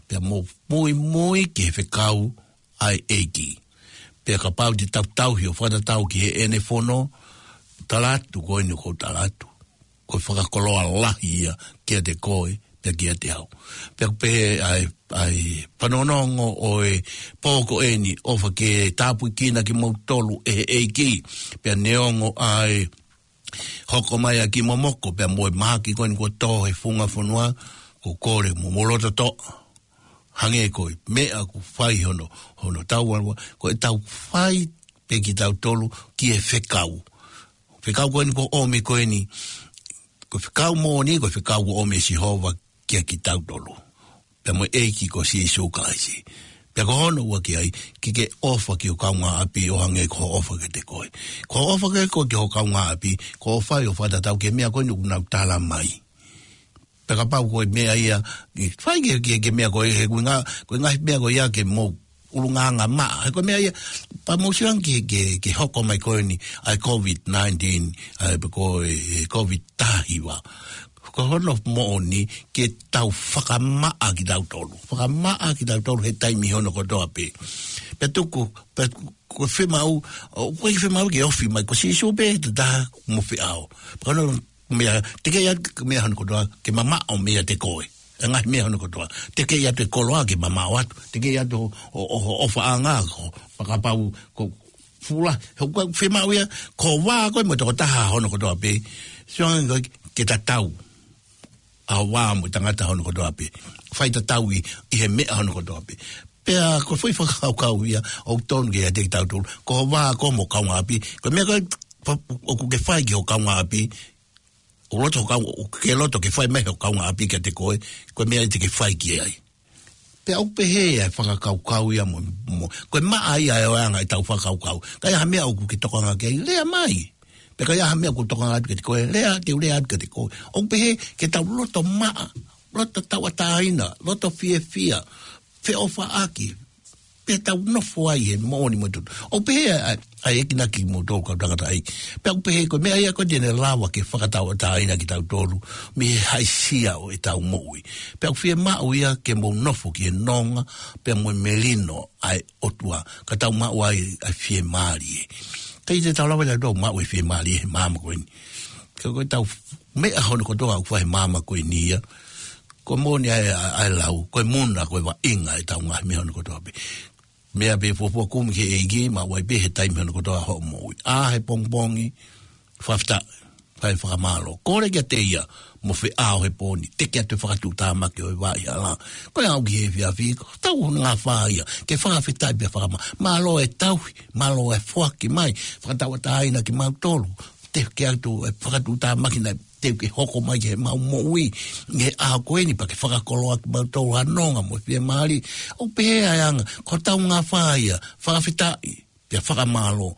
pea mo muimui ki he fekau ʻa e ʻEiki. Pea kapau te tau tauhi ʻo fakatatau ki heʻene fono, tala atu ko eni ʻoku ou tala atu, ko e fakakoloa lahi ia kiate koe, pea kiate au. Pea ʻoku pehē ʻa e, ʻa e fanongonongo ʻo e pō ko eni, ʻofa ke tāpuekina kimoutolu ʻe he ʻEiki, pea neongo ʻa e hoko mai ʻa e kiʻi momoko, pea mo e mahaki ko eni kuo tō he funga fonua, ʻoku ou kole mo mou loto toʻa. Hangē ko e meʻa ʻoku fai hono, hono tau alua, ko ʻetau fai pē kitautolu ki he fekau. Fekau ko eni kuo ʻomi ko eni, ko e fekau moʻoni, ko e fekau kuo ʻomi ʻe Sihova kia kitautolu. Pea mo e ʻEiki ko Sīsū Kalaisi. Pea ko hono ua ki ai, ke ke ʻofa ki ho kaungāʻapi ʻo hangē ko hoʻo ʻofa kiate koe. Ko hoʻo ʻofa kiate koe ki ho kaungāʻapi, ko hoʻo fai ʻo fakatatau ki he meʻa ko eni ʻoku nau tala mai. Pea kapau ko e meʻa ia, ke fai ke, ke, ke meʻa ko e, he ko e ngaahi, ko e ngaahi meʻa ko ia ke mou ʻulungaanga maʻa. He ko e meʻa ia, pea mou sio ange ki he, ki he, ki he hoko mai ko eni, ʻa e COVID nineteen, ʻa e pe ko e, e COVID taha hiva. Ko hono moʻoni ke tau fakamaʻa kitautolu. Fakamaʻa kitautolu he taimi hono kotoa pē. Pea tuku, pea ko e fiemaʻu, ʻoku ʻikai fiemaʻu ke ofi mai ko Sīsū pē, te taha mo feʻao. Pea ko hono meʻa, teʻeki ai ke meʻa hono kotoa, ke mamaʻo meiate koe. ʻA e ngaahi meʻa hono kotoa. Teʻeki ai ke koloa ke mamaʻo atu. Teʻeki ai ʻo, ʻo, ʻo, ʻofaʻanga ko, pea kapau ko fula, he ʻoku fiemaʻu ia, ko e vā ko ē mo e tokotaha hono kotoa pē. Sio ange ko e ke tatau. ʻA e vā mo e tangata hono kotoa pē. Fai tatau ʻi, ʻi he meʻa hono kotoa pē. Pea ko e foʻi fakakaukau ia ʻoku tonu ke ʻiate kitautolu. Ko ho vā koe mo ho kaungāʻapi. Ko e meʻa ko ē ʻoku ke fai ki ho kaungāʻapi, ʻoku loto ho kau-, ʻoku ke loto ke fai mai ho kaungāʻapi kiate koe, ko e meʻa ia te ke fai ki ai. Pea ʻoku pehē ʻa e fakakaukau ia mo, mo, ko e maʻa ia ʻo e anga ʻetau fakakaukau. Ka ʻi ai ha meʻa ʻoku ke tokanga ki ai, lea mai. Pea ka ʻi ai ha meʻa ʻoku tokanga atu kiate koe, lea, te u lea atu kiate koe. ʻOku pehē ke tau loto maʻa, loto tauʻatāina, loto fiefia, feʻofaʻaki, pea tau nofo ai he moʻoni mo e totonu. ʻOku pehē ʻa, ʻa, ʻa e ʻEiki na kimoutolu kau tangataʻeiki. Pea ʻoku pehē ko e meʻa ia ko ē te ne lava ke fakatauʻatāina kitautolu mei he haʻisia ʻo ʻetau moʻui. Pea ʻoku fiemaʻu ia ke mou nofo ki he nonga, pea mo e melino ʻa e ʻOtua, ka tau maʻu ai ʻa e fiemālie. ʻIkai te tau lava ia ʻo maʻu e fiemālie he māmani ko eni. Ka ko ʻetau meʻa hono kotoa ʻoku fai he māmani ko eni ia. Ko e moʻoni ʻa e, ʻa e, ʻa e lau, ko e muna, ko e vaʻinga ʻetau ngaahi meʻa hono kotoa pē. Meʻa pē fuofua kumi ki he ʻEiki, maʻu ai pē he taimi hono kotoa hoʻo moʻui. ʻA, he pongipongi, fakafetaʻi, fai fakamālō. Kole kiate ia, mo feʻao he pō ni, teke atu e fakatuʻutāmaki ʻo e vaʻa hala. Ko e aʻu ki he efiafi, ko e tau hono ngaahi fā ia, ke fakafetaʻi pea fakamā-, mālō e tauhi, mālō e foaki mai, fakatauʻatāina kimautolu. Teke atu e fakatuʻutāmaki naʻe teu ke hoko mai ki heʻemau moʻui, ʻi he ʻaho ko eni pea ke fakakoloa kimautolu ha nonga mo e fiemālie. ʻOku pehē ʻa e anga, ko e tau ngaahi fā ia, fakafetaʻi, pea fakamālō.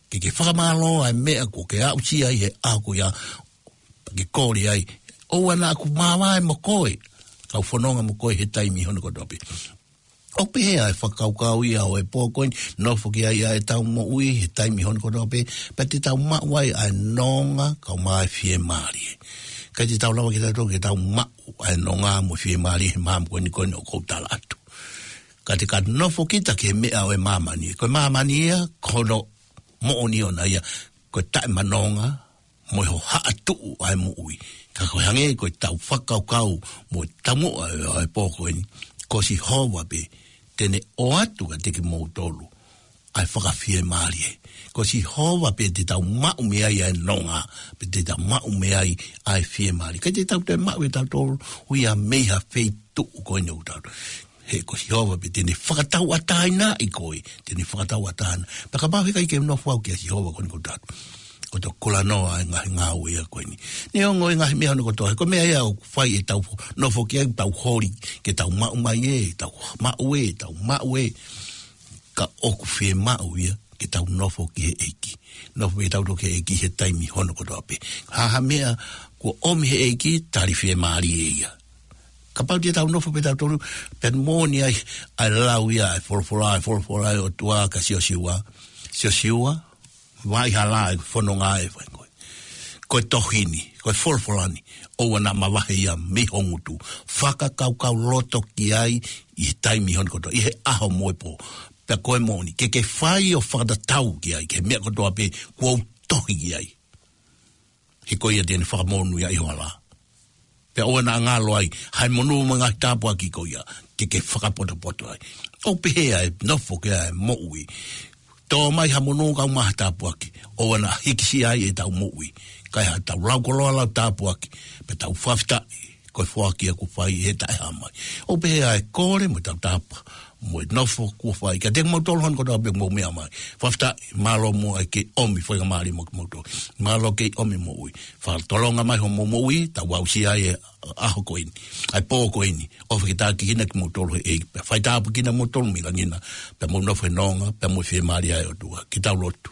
Ke ke fakamālō ʻa e meʻa kuo ke aʻusia ʻi he ʻaho ko ia, pea ke kole ai. ʻOua naʻa ku māvae mo koe, kau fononga mo koe he taimi hono kotoa pē. ʻOku pehē ʻa e fakakaukau ia ʻo e pō ko eni, nofo ki ai ʻa ʻetau moʻui he taimi hono kotoa pē, pea te tau maʻu ai ʻa e nonga, kau mai fiemālie. ʻIkai te tau lava kitautolu ke tau maʻu ʻa e nonga mo e fiemālie he māmani ko eni, ko eni ʻoku ou tala atu. Ka te ka nofo kita ki he meʻa ʻo e māmani. Ko e māmani ia, ko hono moʻoni ʻona ia, ko e taʻemanonga, mo e hohaʻatuʻu ʻa e moʻui. Ka ko e hangē ko ʻetau fakakaukau mo e taumuʻa ʻo e pō ko eni, ko Sihova pē te ne ʻoatu kiate kimoutolu ʻa e fakafiemālie. Ko Sihova pē te tau maʻu mei ai ʻa e nonga, pea te tau maʻu mei ai ʻa e fiemālie. ʻIkai te tau toe maʻu ʻe tautolu ia mei ha feituʻu ko eni ʻoku tau. He ko Sihova pē te ne fakatauʻatāinaʻi koe, te ne fakatauʻatāina. Pea kapau heʻikai ke nofo au kia Sihova ko eni ʻoku tau. Ko e tokolahi noa ʻa e ngaahi ngāue ia ko eni. Neongo e ngaahi meʻa hono kotoa, he ko e meʻa ia ʻoku fai ʻetau fo-, nofo ki ai, tau holi, ke tau maʻu mai ē, tau maʻu ē, tau maʻu ē. Ka ʻoku fiemaʻu ia, ke tau nofo ki he ʻEiki. Nofo pē tautolu ki he ʻEiki he taimi hono kotoa pē. Ha ha meʻa, kuo ʻomi he ʻEiki, tali fiemālie ia. Kapau te tau nofo pē tautolu, pea moʻoni ai, ʻa e lau ia, ʻa e folofola, ʻa e folofola ʻa e ʻOtua kia Siosiua. Siosiua, vaʻa hala ʻa e fononga ʻe fai koe. Ko e tohi ni, ko e folofola ni, ʻoua naʻa mavahe ia mei ho ngutu. Fakakaukau loto ki ai ʻi he taimi hono kotoa, ʻi he ʻaho mo e pō. Pea ko e moʻoni, ke ke fai ʻo fakatatau ki ai, ki he meʻa kotoa pē kuo u tohi ki ai. He ko ia te ne fakamonūʻia ʻi ho hala. Pea ʻoua naʻa ngalo ai, ʻa e monū mo e ngaahi tāpuaki ko ia, ke ke fakapotopoto ai. ʻOku pehē ʻa e nofo ki ai ʻa e moʻui. Tō mai ha monū kau mai ha tāpuaki, ʻoua naʻa hikisia ai ʻetau moʻui. Kae ʻatā ʻetau lau koloa lau tāpuaki, pea tau fakafetaʻi, ko e foaki ia kuo fai he taʻehāmai. ʻOku pehē ʻa e kole mo e tautapa, mo e nofo kuo fai. Kiate kimoutolu hono kotoa pē mou meʻa mai. Fakafetaʻi, mālō muʻa ʻa e kei ʻomi faingamālie mo kimoutolu. Mālō kei ʻomi moʻui. Fakatolonga mai homou moʻui, tau aʻusia ai e ʻaho ko eni. ʻA e pō ko eni. ʻOfa ke tākiekina kimoutolu he ʻEiki. Pea faitāpuekina kimoutolu mei langi na. Pea mou nofo he nonga, pea mo e fiemālie ʻa e ʻOtua. Ke tau lotu.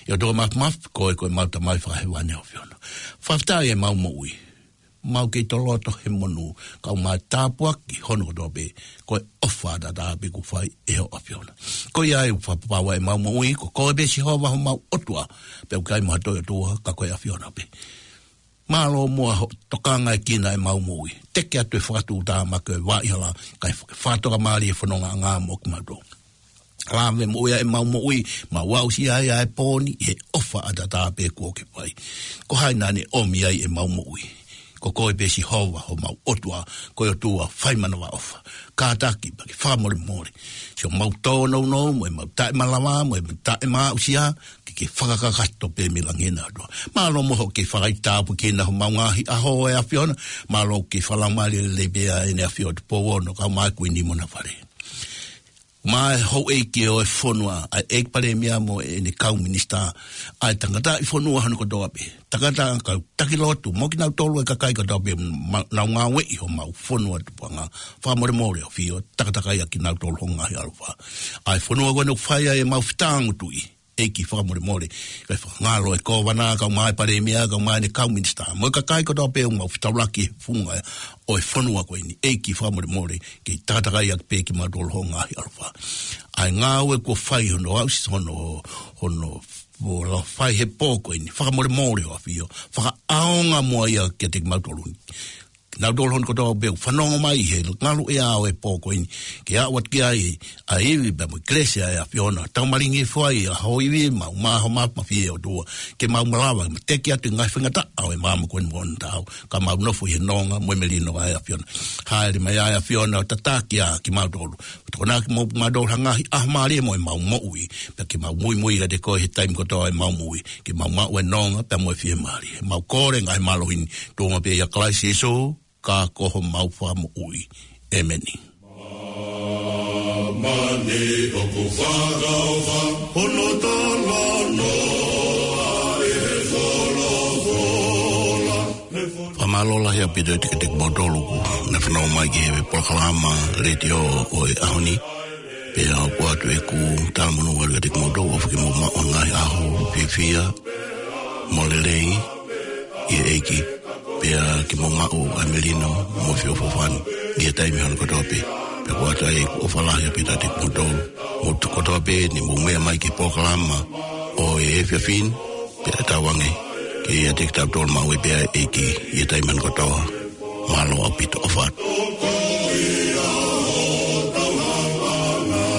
ʻE ʻOtua Māfimafi, ko koe ko ʻemau Tamai Fakahēvani ʻa e ʻAfiona. Fakafetaʻi ʻemau moʻui. Mau kei toloto he monū, kau mai tāpuaki hono kotoa pē, ko e ʻofa ʻataʻatā pē kuo fai ʻe ho ʻAfiona. Ko ia ʻoku fakapapauʻi ʻemau moʻui, ko koe pē Sihova homau ʻOtua, pea ʻoku ʻikai mo ha toe ʻOtua, ka ko e ʻAfiona pē. Mālō muʻa hoʻo tokangaʻi kinautolu ʻemau moʻui. Teke atu e fakatuʻutāmaki ʻo e vaʻa hala, kae fakatokamālie e fonongaʻanga mo kimautolu. Lave moʻui ʻa ʻemau moʻui, mau aʻusia ai ʻa e pō ni, he ʻofa ʻataʻatā pē kuo ke fai. Ko hai naʻa ne ʻomi ai ʻemau moʻui. Ko koe pē Sihova homau ʻOtua, ko e ʻOtua fai manavaʻofa. Kātaki pea ke fakamolemole. Siʻomau tōnounou, mo ʻemau taʻemalava, mo ʻemau taʻemāʻusia, ke ke fakakakato pē mei langi na ʻOtua. Mālō muʻa hoʻo kei fakaitāpuekina homau ngaahi ʻaho ʻe ʻAfiona, mālō kei fakalaumālie lelei pē ʻa ʻEne ʻAfio Tupou Ono, kau mai Kuini mo ʻena fale. Mo e houʻeiki ʻo e fonua, ʻa e ʻEiki Palēmia mo ʻene kau minisitā, ʻa e tangataʻi fonua hono kotoa pē. Tangata kau taki lotu, mo kinautolu e kakai kotoa pē ma-, nau ngāueʻi homau fonua tupuʻanga. Fakamolemole ʻo ʻAfio, takatakai ʻa kinautolu ho ngaahi ʻaloʻofa. ʻA e fonua ko eni ʻoku fai ai ʻemau fetāngutuʻi, ʻEiki fakamolemole, kae fakangalo e kōvana, kae ʻumaʻā e palēmia, kae ʻumaʻā ʻene kau minisitā. Mo e kakai kotoa pē ʻoku mau fetaulaki he funga ʻo e fonua ko eni, ʻEiki fakamolemole, ke takatakai ʻaki pē kimautolu ho ngaahi ʻaloʻofa. ʻA e ngāue kuo fai hono aʻusi, hono, hono, ʻo lau fai he pō ko eni, fakamolemole ʻo ʻAfio, fakaʻaonga muʻa ia kiate kimautolu ni. Kinautolu hono kotoa pē ʻoku fanongo mai he ngaluʻea ʻo e pō ko eni, ke aʻu atu ki ai ʻa e ivi pea mo e kelesi ʻa e ʻAfiona. Tau malingi fua ʻa ho ivi, mau maho ma, mafie ʻOtua, ke mau malava, ma teke atu ʻi he ngaahi faingataʻa ʻo e māmani ko eni mo ʻona taau, ka mau nofo ʻi he nonga mo e melino ʻa e ʻAfiona. Hāʻele mai ʻa e ʻAfiona ʻo tataki ʻa kimautolu. Tokonaki mo kimautolu ha ngaahi ʻaho mālie mo ʻemau moʻui. Pea ke mau muimui kiate koe he taimi kotoa ʻemau moʻui. Ke mau maʻu e nonga, pea mo e fiemālie. Mau kole ngaahi mālohi ni, tuʻunga pē ʻia Kalaisi Sīsū, ka ko homau Fakamoʻui. ʻĒmeni. Māmani ʻoku fakaʻofa, hono talanoa ʻa e folofola. Fakamālō lahi ʻaupito atu kiate kimoutolu ʻoku ne fanongo mai ki he polokalama letiō ʻo e ʻaho ni. Pea ʻoku ʻoatu ʻeku talamonū atu kiate kimoutolu, ʻofa ke mou maʻu ha ngaahi ʻaho fiefia mo lelei ʻi he ʻEiki. Pea ke mou maʻu ʻa e melino mo e feʻofoʻofani ʻi he taimi hono kotoa pē. Pea ʻoku ʻoatu ai ʻeku ʻofa lahi ʻaupito atu kiate kimoutolu. Mou tuʻu kotoa pē ni mou meʻa mai ki he polokalama ʻo e efiafi ni, pea tauange ke ʻiate kitautolu maʻu ai pē ʻa e ʻEiki ʻi he taimi hono kotoa. Mālō ʻaupito, ʻofa atu.